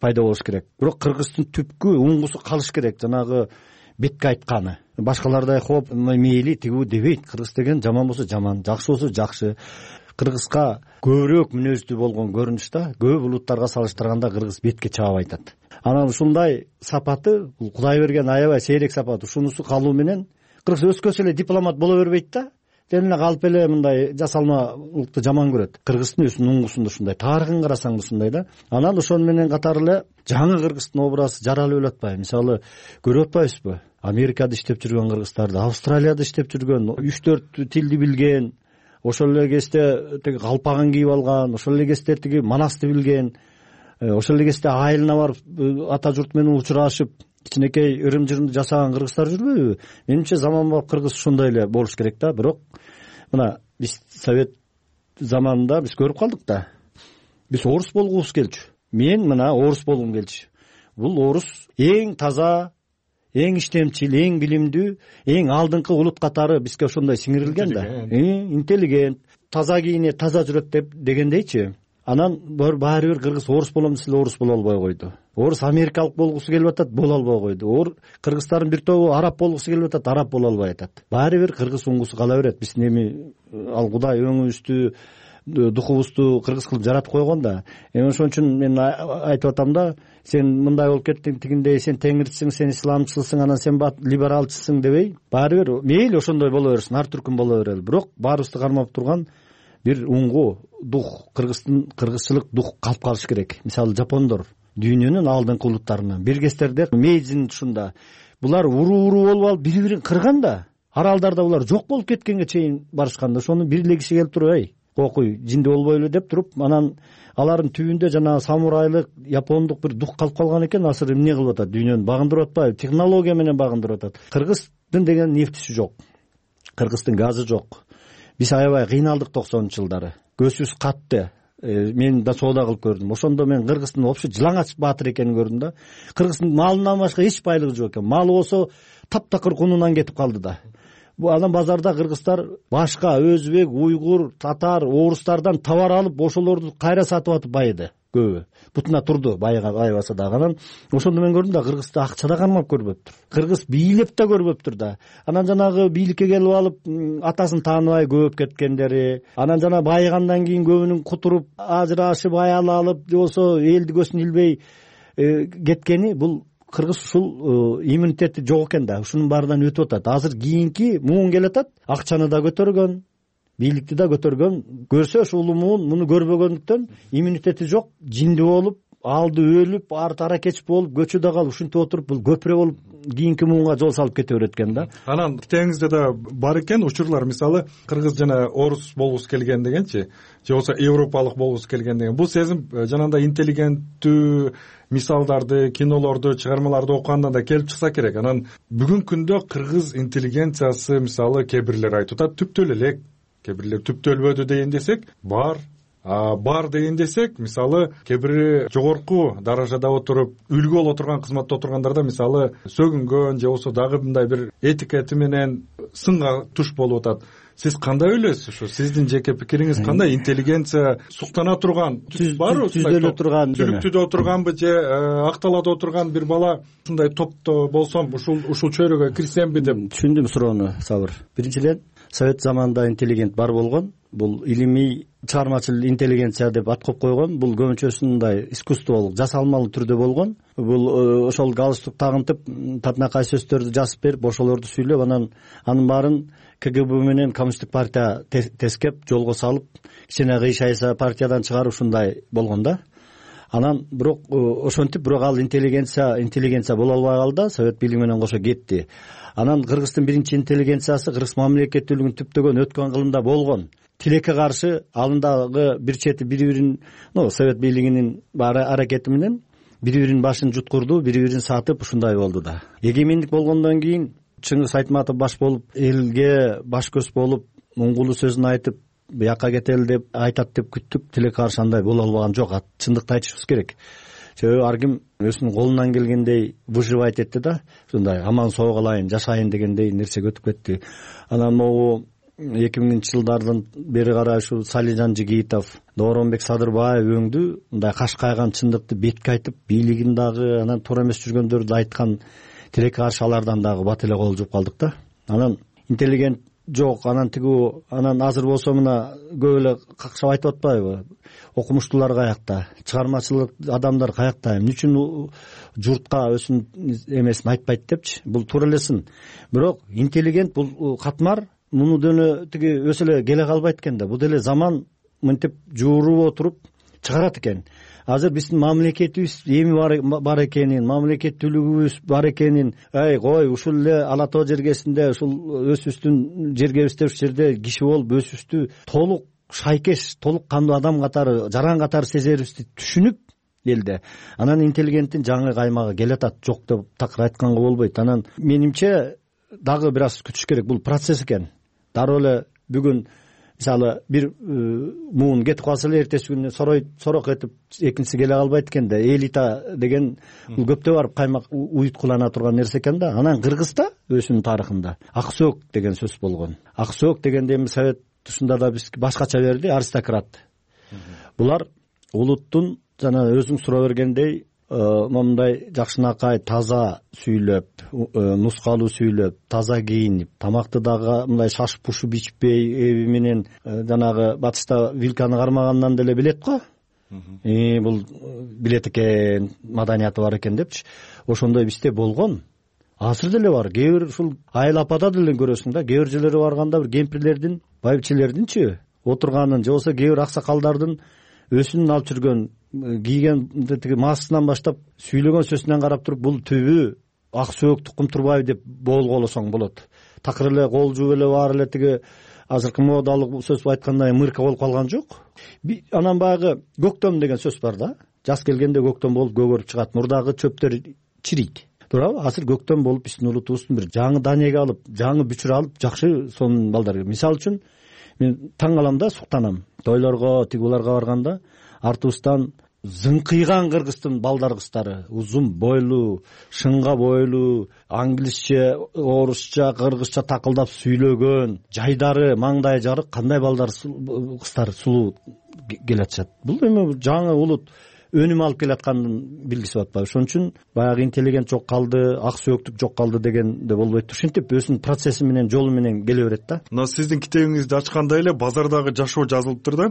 J: пайда болуш керек. Бирок кыргыздын түпкү оңгусу калыш керек. Жанагы бетке айтканы. Башкалардай хоп, мейли тигүү дебейт. Кыргыз деген жаман болсо жаман, жакшы болсо жакшы. Кыргызга көбүрөөк мүнөздүү болгон көрүнүштө көп улуттарга салыштырганда кыргыз бетке чаап айтат. Анан ушундай сапаты, бул Кудай берген аябай сейрек сапат. Ушунусу калуу менен кыргыз өскөсө эле дипломат боло бербейт да. Тен эле калып эле мындай жасалмалыкты жаман көрөт. Кыргыздын өзүнүн оңгусунда ушундай, тарыхын карасаң ушундай да. Анан ошону менен катары эле жаңы кыргыздын образы жаралып эле атпайбы? Мисалы, көрүп атпайбызбы? Америкада иштеп жүргөн кыргыздарды, Австралияда иштеп жүргөн, 3-4 тилди билген, ошол эле кезде тиги калпагын кийип алган, ошол эле кезде тиги манасты билген, ошол эле кезде айылына барып ата журт менен учурашып, кичинекей ырым-жырымды жасаган кыргыздар жүрбөйбү? Менимче заманбап кыргыз ушундай эле болуш керек да. Бирок мына биз совет заманында биз көрүп калдык да. Биз орус болгубуз келчү. Мен мына орус болгум келчү. Бул орус эң таза, эң иштемчил, эң билимдүү, эң алдыңкы улут катары бизге ошондой сиңирилген да. Интеллигент, таза кийинет, таза жүрөт дегендейчи. Анан баары бир кыргыз орус болом десе орус боло албай койду. Орус америкалык болгусу келип атат, боло албай койду. Кыргыздардын бир тобу араб болгусу келип атат, араб боло албай атат. Баары бир кыргыз оңгусу кала берет. Биздин эми ал Кудай өңүбүздү, духубузду кыргыз кылып жаратып койгон да. Ошон үчүн мен айтып атам да, сен мындай болуп кеттиң, тигиндей, сен теңирчисиң, сен исламчысың, анан сен либералчысың дебей, баары бир мейли ошондой боло берсин, ар түркүн боло берели. Бирок баарыбызды кармап турган бир уңгу дух, кыргызчылык дух калып калыш керек. Мисалы, жапондор дүйнөнүн алдыңкы улуттарынан, биргестерде Мейдзин тушунда булар уруу болуп алып бири-бирин кырган да. Аралдарда булар жок болуп кеткенге чейин барышканда, ошону бир киши келип туруп, кокуй, жинди болбойлу деп туруп, анан алардын түбүндө жанагы самурайлык, япондук бир дух калып калган экен. Азыр эмне кылып атат? Дүйнөнү багындырып атпайбы? Технология менен багындырып атат. Кыргыздын деген нефтиси жок. Кыргыздын газы жок. Биз аябай кыйналдык 90-жылдары. Көзүбүз катты. Мен да соода кылып көрдүм. Ошондо мен кыргыздын вообще жылаңач баатыр экенин көрдүм да. Кыргыздын малынан башка эч байлыгы жок экен. Малы болсо таптакыр кунунан кетип калды да. Анан базарда кыргыздар башка өзбек, уйгур, татар, орустардан товар алып, ошолорду кайра сатып атып байыды көбү. Бутуна турду, байбаса дагы. Анан ошондо мен көрдүм да, кыргызды акча да кармап көрбөптүр. Кыргыз бийлеп да көрбөптүр да. Анан жанагы бийликке келип алып, атасын тааныбай көбөп кеткендери, анан жана байыгандан кийин көбүнүн кутуруп, ажырашып, аял алып, же болсо элди көзүн илбей кеткени, бул кыргыз ушул иммунитети жок экен да. Ушунун баарынан өтүп атат. Азыр кийинки муун келатат, акчаны да көтөргөн, бийликти да көтөргөн. Көрсө ушул муун муну көрбөгөндүктөн иммунитети жок, жинди болуп, алды өлүп, арты кеч болуп, көчү да калып, ушинтип отуруп, бул көпүрө болуп кийинки муунга жол салып кете берет экен да.
I: Анан китебиңизде да бар экен учурлар, мисалы, кыргыз жана орус болгусу келген дегенчи, же болсо европалык болгусу келген деген. Бул сезим жанагындай интеллигенттүү мисалдарды, кинолорду, чыгармаларды окугандан да келип чыкса керек. Анан бүгүнкү күндө кыргыз интеллигенциясы, мисалы, кээ бирлер айтып атат, түптөлө элек, кээ бирлер түптөлбөдү деген десек, бар деген десек, мисалы, кээ бири жогорку даражада отуруп, үлгү боло турган кызматта отургандарда, мисалы, сөгүнгөн же болсо дагы мындай бир этикети менен сынга туш болуп атат. Сиз кандай ойлойсуз? Ушу сиздин жеке пикириңиз кандай? Интеллигенция суктана турган, барбы?
J: Түздөлө турган,
I: түбүктүдө отурганбы же акталада отурган бир бала ушундай топто болсом, ушул чөйрөгө кирсемби деп?
J: Түшүндүм суроону, Сабыр. Биринчиден, совет заманында интеллигент бар болгон. Бул илимий чыгармачыл интеллигенция деп ат коюп койгон. Бул көбүнчөсүндай искусстволук, жасалмалуу түрдө болгон. Бул ошол галстук тагынтып, татынакай сөздөрдү жазып берип, ошолорду сүйлөп, анын баарын КГБ менен коммунисттик партия тескеп жолго салып кичине кыйшайса партиядан чыгарып ушундай болгон да. Анан бирок ошентип бирок ал интеллигенция боло албай калды, совет бийлиги менен кошо кетти. Анан Кыргыздын биринчи интеллигенциясы кыргыз мамлекеттүүлүгүн түптөгөн өткөн кылымда болгон. Тилекке каршы алындагы бир чети бири-бирин совет бийлигинин аракети менен бири-биринин башын жуткурду, бири-бирин сатып ушундай болду да. Эгемендик болгондон кийин Чыңгыз Айтматов баш болуп, элге баш көз болуп, оңгулуу сөзүн айтып, бияка кетели деп айтат деп күттүк. Тилекке каршы андай боло албаган жок. Чындыкты айтышыбыз керек. Себеби ар ким өзүнүн колунан келгендей выживать этти да. Ушундай аман соо калайын, жашайын дегендей нерсеге өтүп кетти. Анан могу 2000-жылдардан бери карай ушу Салижан Жигитов, Дооронбек Садырбаев өңдү мындай каш кайган чындыкты бетке айтып, бийлигин дагы анан туура эмес жүргөндөрдү айткан. Тилекке каршы алардан дагы бат эле кол жууп калдык да. Анан интеллигент жок, анан анан азыр болсо мына көп эле какшап айтып атпайбы? Окумуштуулар каякта, чыгармачылык адамдар каякта, эмне үчүн журтка өзүнүн эмесин айтпайт депчи. Бул туура элесин. Бирок интеллигент бул катмар муну дөнө өсө эле келе калбайт экен да. Бул деле заман мынтип жууруп отуруп чыгарат экен. Азыр биздин мамлекетибиз эми бар экенин, мамлекеттүүлүгүбүз бар экенин, кой ушул эле Ала Тоо жергесинде ушул өзүбүздүн жергебизде ушул жерде киши болуп өзүбүздү толук шайкеш, толук кандуу адам катары, жаран катары сезерибизди түшүнүп элде. Анан интеллигенттин жаңы каймагы келатат, жок деп такыр айтканга болбойт. Анан менимче дагы бир аз күтүш керек. Бул процесс экен. Дароо эле бүгүн мисалы бир муун кетип калса эле эртеси күнү сорок этип экинчиси келе калбайт экен да. Элита деген бул көптө барып каймак уюткулана турган нерсе экен да. Анан Кыргызда өзүнүн тарыхында ак сөөк деген сөз болгон. Ак сөөк дегенде эми совет тушунда да биз башкача берди, аристократ. Булар улуттун жана өзүң суроо бергендей момундай жакшынакай таза сүйлөп, нускалуу сүйлөп, таза кийинип, тамакты дагы мындай шашып пушуп ичпей, эби менен жанагы батышта вилканы кармагандан деле билет го. Бул билет экен, маданияты бар экен депчи. Ошондой бизде болгон. Азыр деле бар. Кээ бир ушул айыл апада деле көрөсүң да, кээ бир жерлерге барганда бир кемпирлердин, байбичелердинчи отурганын, же болбосо кээ бир аксакалдардын өсүнүн алып жүргөн кийген тиги маскасынан баштап сүйлөгөн сөзүнөн карап туруп бул түбү ак сөөк Тукум Турбаев деп болгоолосоң болот. Такыр эле кол жууп эле баары эле тиги азыркы модалык сөз айткандай мырка болуп калган жок. Анан баягы көктөм деген сөз бар да. Жаз келгенде көктөм болуп көгөрүп чыгат, мурдагы чөптөр чирийт. Туурабы? Азыр көктөм болуп биздин улутубуздун бир жаңы данеге алып, жаңы бүчүр алып, жакшы сонун балдар. Мисалы үчүн мен таң калам да, суктанам. Тойлорго, тигуларга барганда артыбыздан зыңкыйган кыргыздын балдар кыздары, узун бойлуу, шыңга бойлуу, англисче, орусча, кыргызча такылдап сүйлөгөн, жайдары, маңдайы жарык кандай балдар кыздар сулуу келатышат. Бул эми жаңы улут өнүм алып келаткандын билгиси атпайбы. Ошон үчүн баягы интеллигент жок калды, ак сөөктүк жок калды дегенде болбойт. Ушинтип өзүнүн процесси менен, жолу менен келе берет да.
I: Мына сиздин китебиңизди ачканда эле базардагы жашоо жазылыптыр да.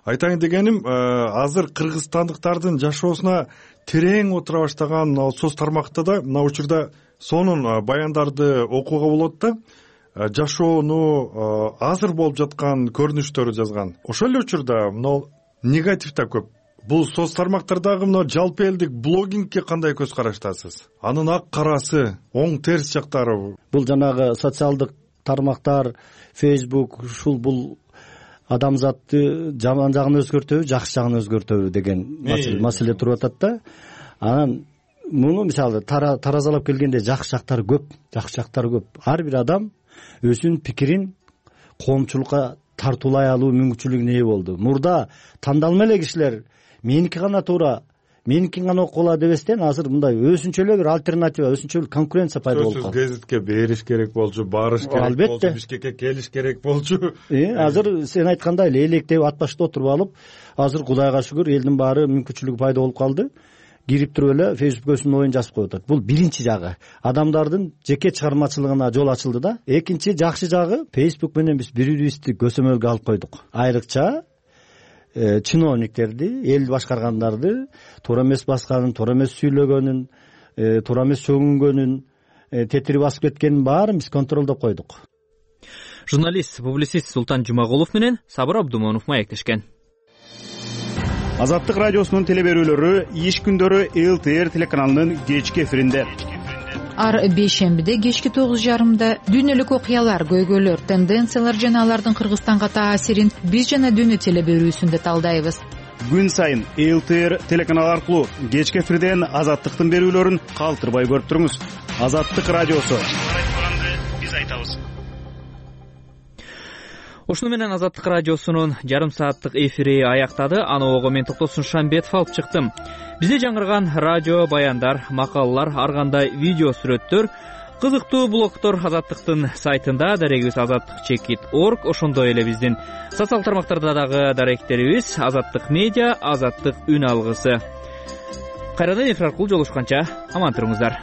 I: Айтайын дегеним, азыр кыргызстандыктардын жашоосуна терең отура баштаган соц тармакта да мына учурда сонун баяндарды окууга болот да. Жашоону азыр болуп жаткан көрүнүштөрү жазган. Ошол эле учурда мына негатив да көп. Бул соц тармактардагы мына жалпы элдик блогингке кандай көз караштасыз? Анын ак карасы, оң терс жактары.
J: Бул жанагы социалдык тармактар, Facebook, ушул бул адамзатты жаман жагын өзгөртөбү, жакшы жагын өзгөртөбү деген маселе туруп атат да. Анан муну мисалы таразалап келгенде жакшы жактары көп, жакшы жактары көп. Ар бир адам өзүнүн пикирин коомчулукка тартуулай алуу мүмкүнчүлүгүнө ээ болду. Мурда тандалма эле кишилер меники гана туура, меникин гана окула дебестен азыр мындай өзүнчө эле бир альтернатива, өзүнчө эле конкуренция пайда болуп калды.
I: Гезитке бериш керек болчу, барыш керек болчу, Бишкекке келиш керек болчу.
J: Азыр сен айткандай эле электеп ат башында отуруп алып, азыр Кудайга шүгүр элдин баары мүмкүнчүлүгү пайда болуп калды. Кирип туруп эле Facebook өзүнүн оюн жазып коюп атат. Бул биринчи жагы. Адамдардын жеке чыгармачылыгына жол ачылды да. Экинчи жакшы жагы, Facebook менен биз бири-бирибизди көсөмөлгө алып койдук. Айрыкча чиновниктерди, эл башкаргандарды туура эмес басканын, туура эмес сүйлөгөнүн, туура эмес сөгүнгөнүн, тетири басып кеткенин баарын биз контролдоп койдук.
A: Журналист, публицист Султан Жумагулов менен Сабыр Абдумонов маектешкен.
F: Азаттык радиосунун телеберүүлөрү иш күндөрү ЛТР телеканалынын кечки эфиринде.
K: Ар бейшембиде кечки 9:30 дүйнөлүк окуялар, көйгөйлөр, тенденциялар жана алардын Кыргызстанга таасирин биз жана дүйнө телеберүүсүндө талдайбыз.
F: Күн сайын ЛТР телеканалы аркылуу кечки эфирден Азаттыктын берүүлөрүн калтырбай көрүп туруңуз. Азаттык радиосу. Биз айтабыз.
A: Ушуну менен Азаттык радиосунун жарым сааттык эфири аяктады. Аногого мен Токтосун Шамбетов алып чыктым. Бизде жаңырган радио баяндар, макалалар, ар кандай видео сүрөттөр, кызыктуу блогдор Азаттыктын сайтында, дарегибиз azattik.org, ошондой эле биздин социал тармактарда дагы даректерибиз Азаттык медиа, Азаттык үн алгысы. Кайрадан эфир аркылуу жолугушканча аман туруңуздар.